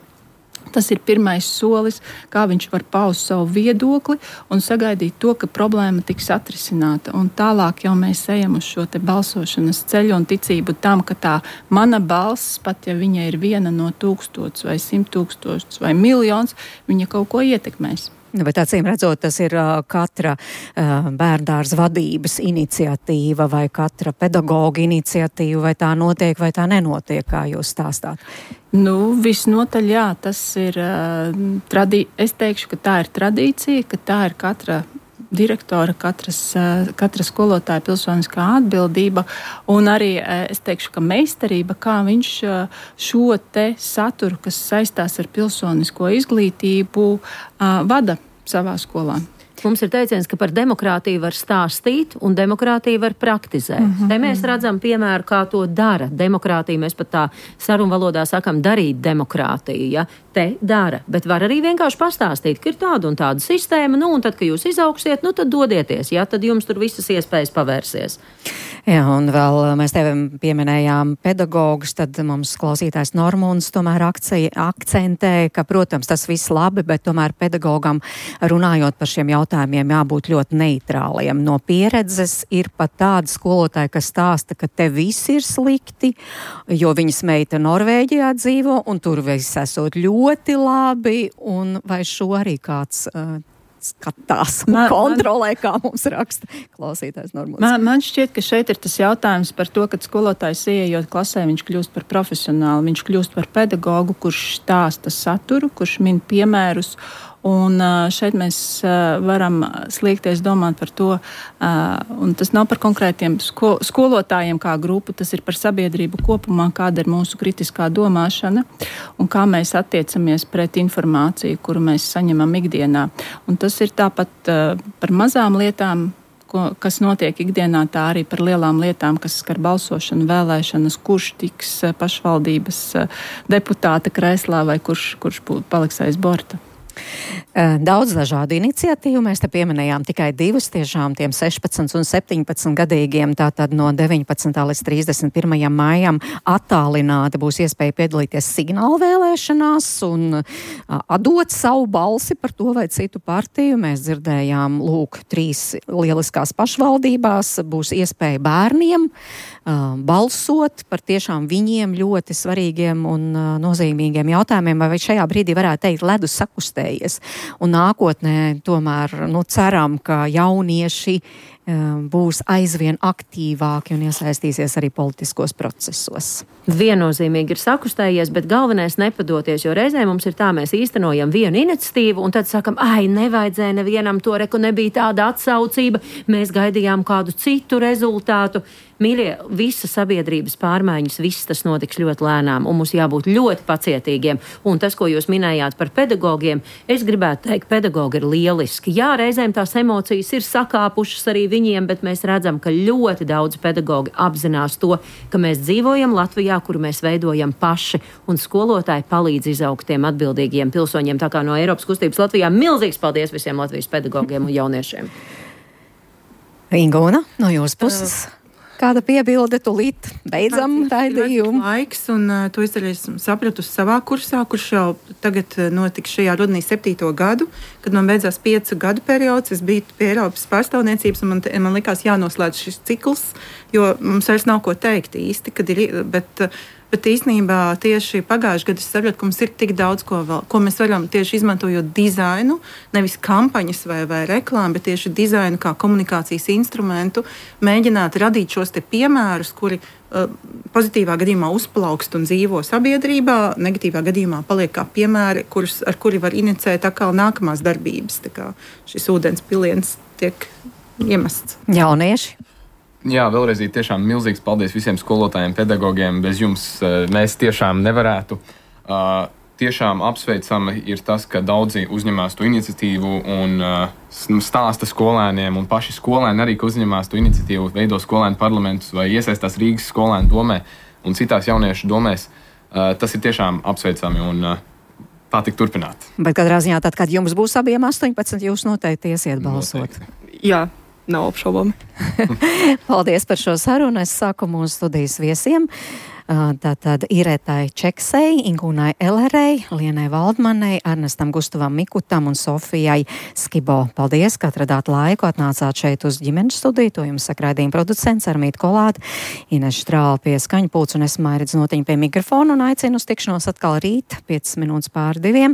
Tas ir pirmais solis, kā viņš var paust savu viedokli un sagaidīt to, ka problēma tiks atrisināta. Un tālāk jau mēs ejam uz šo te balsošanas ceļu un ticību tam, ka tā mana balss, pat ja viņa ir viena no tūkstots vai simt tūkstots vai miljons, viņa kaut ko ietekmēs. Bet acīm redzot, tas ir uh, katra uh, bērndārza vadības iniciatīva vai katra pedagoga iniciatīva, vai tā notiek, vai tā nenotiek, kā jūs stāstāt? Nu, visnotaļ jā, tas ir, uh, tradī- es teikšu, ka tā ir tradīcija, ka tā ir katra direktora, katras, uh, katra skolotāja pilsoniskā atbildība, un arī uh, es teikšu, ka meistarība, kā viņš uh, šo te saturu, kas saistās ar pilsonisko izglītību, uh, vada savā skolā. Mums ir teiciens, ka par demokrātiju var stāstīt un demokrātiju var praktizēt. Mm-hmm. Te mēs redzam piemēru, kā to dara. Demokrātija, mēs pat tā sarunvalodā sakam, darīt demokrātiju. Ja? Te dara, bet var arī vienkārši pastāstīt, ka ir tāda un tāda sistēma, nu un tad, kad jūs izauksiet, nu tad dodieties, ja? Tad jums tur visas iespējas pavērsies. Jā, un vēl mēs tevi pieminējām pedagogus, tad mums klausītājs Normunds tomēr akcija, akcentē, ka, protams, tas viss labi, bet tomēr pedagogam runājot par šiem jautājumiem jābūt ļoti neitrāliem. No pieredzes ir pat tādi skolotāji, kas stāsta, ka te viss ir slikti, jo viņas meita Norvēģijā dzīvo, un tur viss esot ļoti labi, un vai šo arī kāds uh, skatās un man, kontrolē, kā mums raksta klausītājs Normunds. Man, man šķiet, ka šeit ir tas jautājums par to, ka skolotājs ieejot klasē, viņš kļūst par profesionālu, viņš kļūst par pedagogu, kurš stāsta saturu, kurš min piemērus. Un šeit mēs varam sliekties domāt par to, un tas nav par konkrētiem sko- skolotājiem kā grupu, tas ir par sabiedrību kopumā, kāda ir mūsu kritiskā domāšana un kā mēs attiecamies pret informāciju, kuru mēs saņemam ikdienā. Un tas ir tāpat par mazām lietām, ko, kas notiek ikdienā, tā arī par lielām lietām, kas skar balsošanu, vēlēšanas, kurš tiks pašvaldības deputāta krēslā vai kurš, kurš paliks aiz borta. Daudz dažādu iniciatīvu, mēs te pieminējām tikai divas, tiešām tiem sešpadsmit un septiņpadsmit gadīgiem, tātad no deviņpadsmitā līdz trīsdesmit pirmajam maijam attālināti būs iespēja piedalīties signāla vēlēšanās un atdot savu balsi par to vai citu partiju. Mēs dzirdējām, lūk, trīs lieliskās pašvaldībās būs iespēja bērniem uh, balsot par tiešām viņiem ļoti svarīgiem un uh, nozīmīgiem jautājumiem, vai šajā brīdī varētu teikt ledus sakustē. Un nākotnē tomēr nu, ceram, ka jaunieši um, būs aizvien aktīvāki un iesaistīsies arī politiskos procesos. Viennozīmīgi ir sakustējies, bet galvenais nepadoties, jo reizē mums ir tā, mēs īstenojam vienu iniciatīvu un tad sakam, ai, nevajadzēja nevienam to reku, nebija tāda atsaucība, mēs gaidījām kādu citu rezultātu. Mīļie, visa sabiedrības pārmaiņas, viss tas notiks ļoti lēnām, un mums jābūt ļoti pacietīgiem. Un tas, ko jūs minējāt par pedagogiem, es gribētu teikt, pedagogi ir lieliski. Jā, reizēm tās emocijas ir sakāpušas arī viņiem, bet mēs redzam, ka ļoti daudz pedagogi apzinās to, ka mēs dzīvojam Latvijā, kuru mēs veidojam paši, un skolotāji palīdz izaugt tiem atbildīgiem pilsoņiem. Tā kā no Eiropas kustības Latvijā milzīgs paldies visiem Latvijas pedagogiem un jauniešiem. Ingūna, no jūsu puses. Uh. Kāda piebilde, tūlīt beidzam raidījumu? Laiks, un uh, to es arī esmu sapratusi savā kursā, kurš jau tagad notiks šajā rudenī septīto gadu, kad man beidzās piecu gadu periods. Es biju pie Eiropas pārstāvniecības, un man, te, man likās jānoslēdz šis cikls, jo mums vairs nav ko teikt īsti, kad ir, bet, bet īstenībā tieši pagājušajā gadā es sapratu, ka mums ir tik daudz, ko, vēl, ko mēs varam tieši izmantojot dizainu, nevis kampaņas vai, vai reklāmu, bet tieši dizainu kā komunikācijas instrumentu, mēģināt radīt šos te piemērus, kuri uh, pozitīvā gadījumā uzplaukst un dzīvo sabiedrībā, negatīvā gadījumā paliek kā piemēri, kurus, ar kuri var inicēt atkal nākamās darbības. Tā kā šis ūdens piliens tiek iemests. Jaunieši. Jā, vēlreiz tiešām milzīgs paldies visiem skolotājiem, pedagogiem. Bez jums mēs tiešām nevarētu. Uh, tiešām apsveicami ir tas, ka daudzi uzņemās to iniciatīvu un uh, stāsta skolēniem, un paši skolēni arī, ka uzņemās to iniciatīvu, veido skolēnu parlamentus vai iesaistās Rīgas skolēnu domē un citās jauniešu domēs. Uh, tas ir tiešām apsveicami un uh, tā tik turpināt. Bet katrā ziņā tad, kad jums būs abiem astoņpadsmit, jūs noteikti iesiet balsot. Noteikti. Jā. Nav apšaubāmi. Paldies par šo sarunu. Es saku mūsu studijas viesiem. Tātad Iretai Čeksei, Ingūnai Elerei, Lienai Valdmanai, Ernestam Gustavam Mikutam un Sofijai Skibo. Paldies, ka atradāt laiku, atnācāt šeit uz ģimenes studiju. To jums saka raidījuma producents Armīta Kolāte, Ines Štrāle pie skaņu pults un es Mairits Notiņa pie mikrofona un aicinu uz tikšanos atkal rīt, piecas minūtes pār diviem.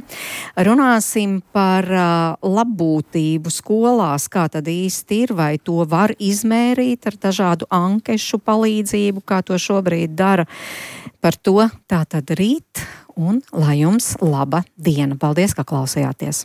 Runāsim par uh, labbūtību skolās, kā tad īsti ir, vai to var izmērīt ar dažādu ankešu palīdzību, kā to šobrīd dara. Par to tātad rīt un lai jums laba diena. Paldies, ka klausījāties!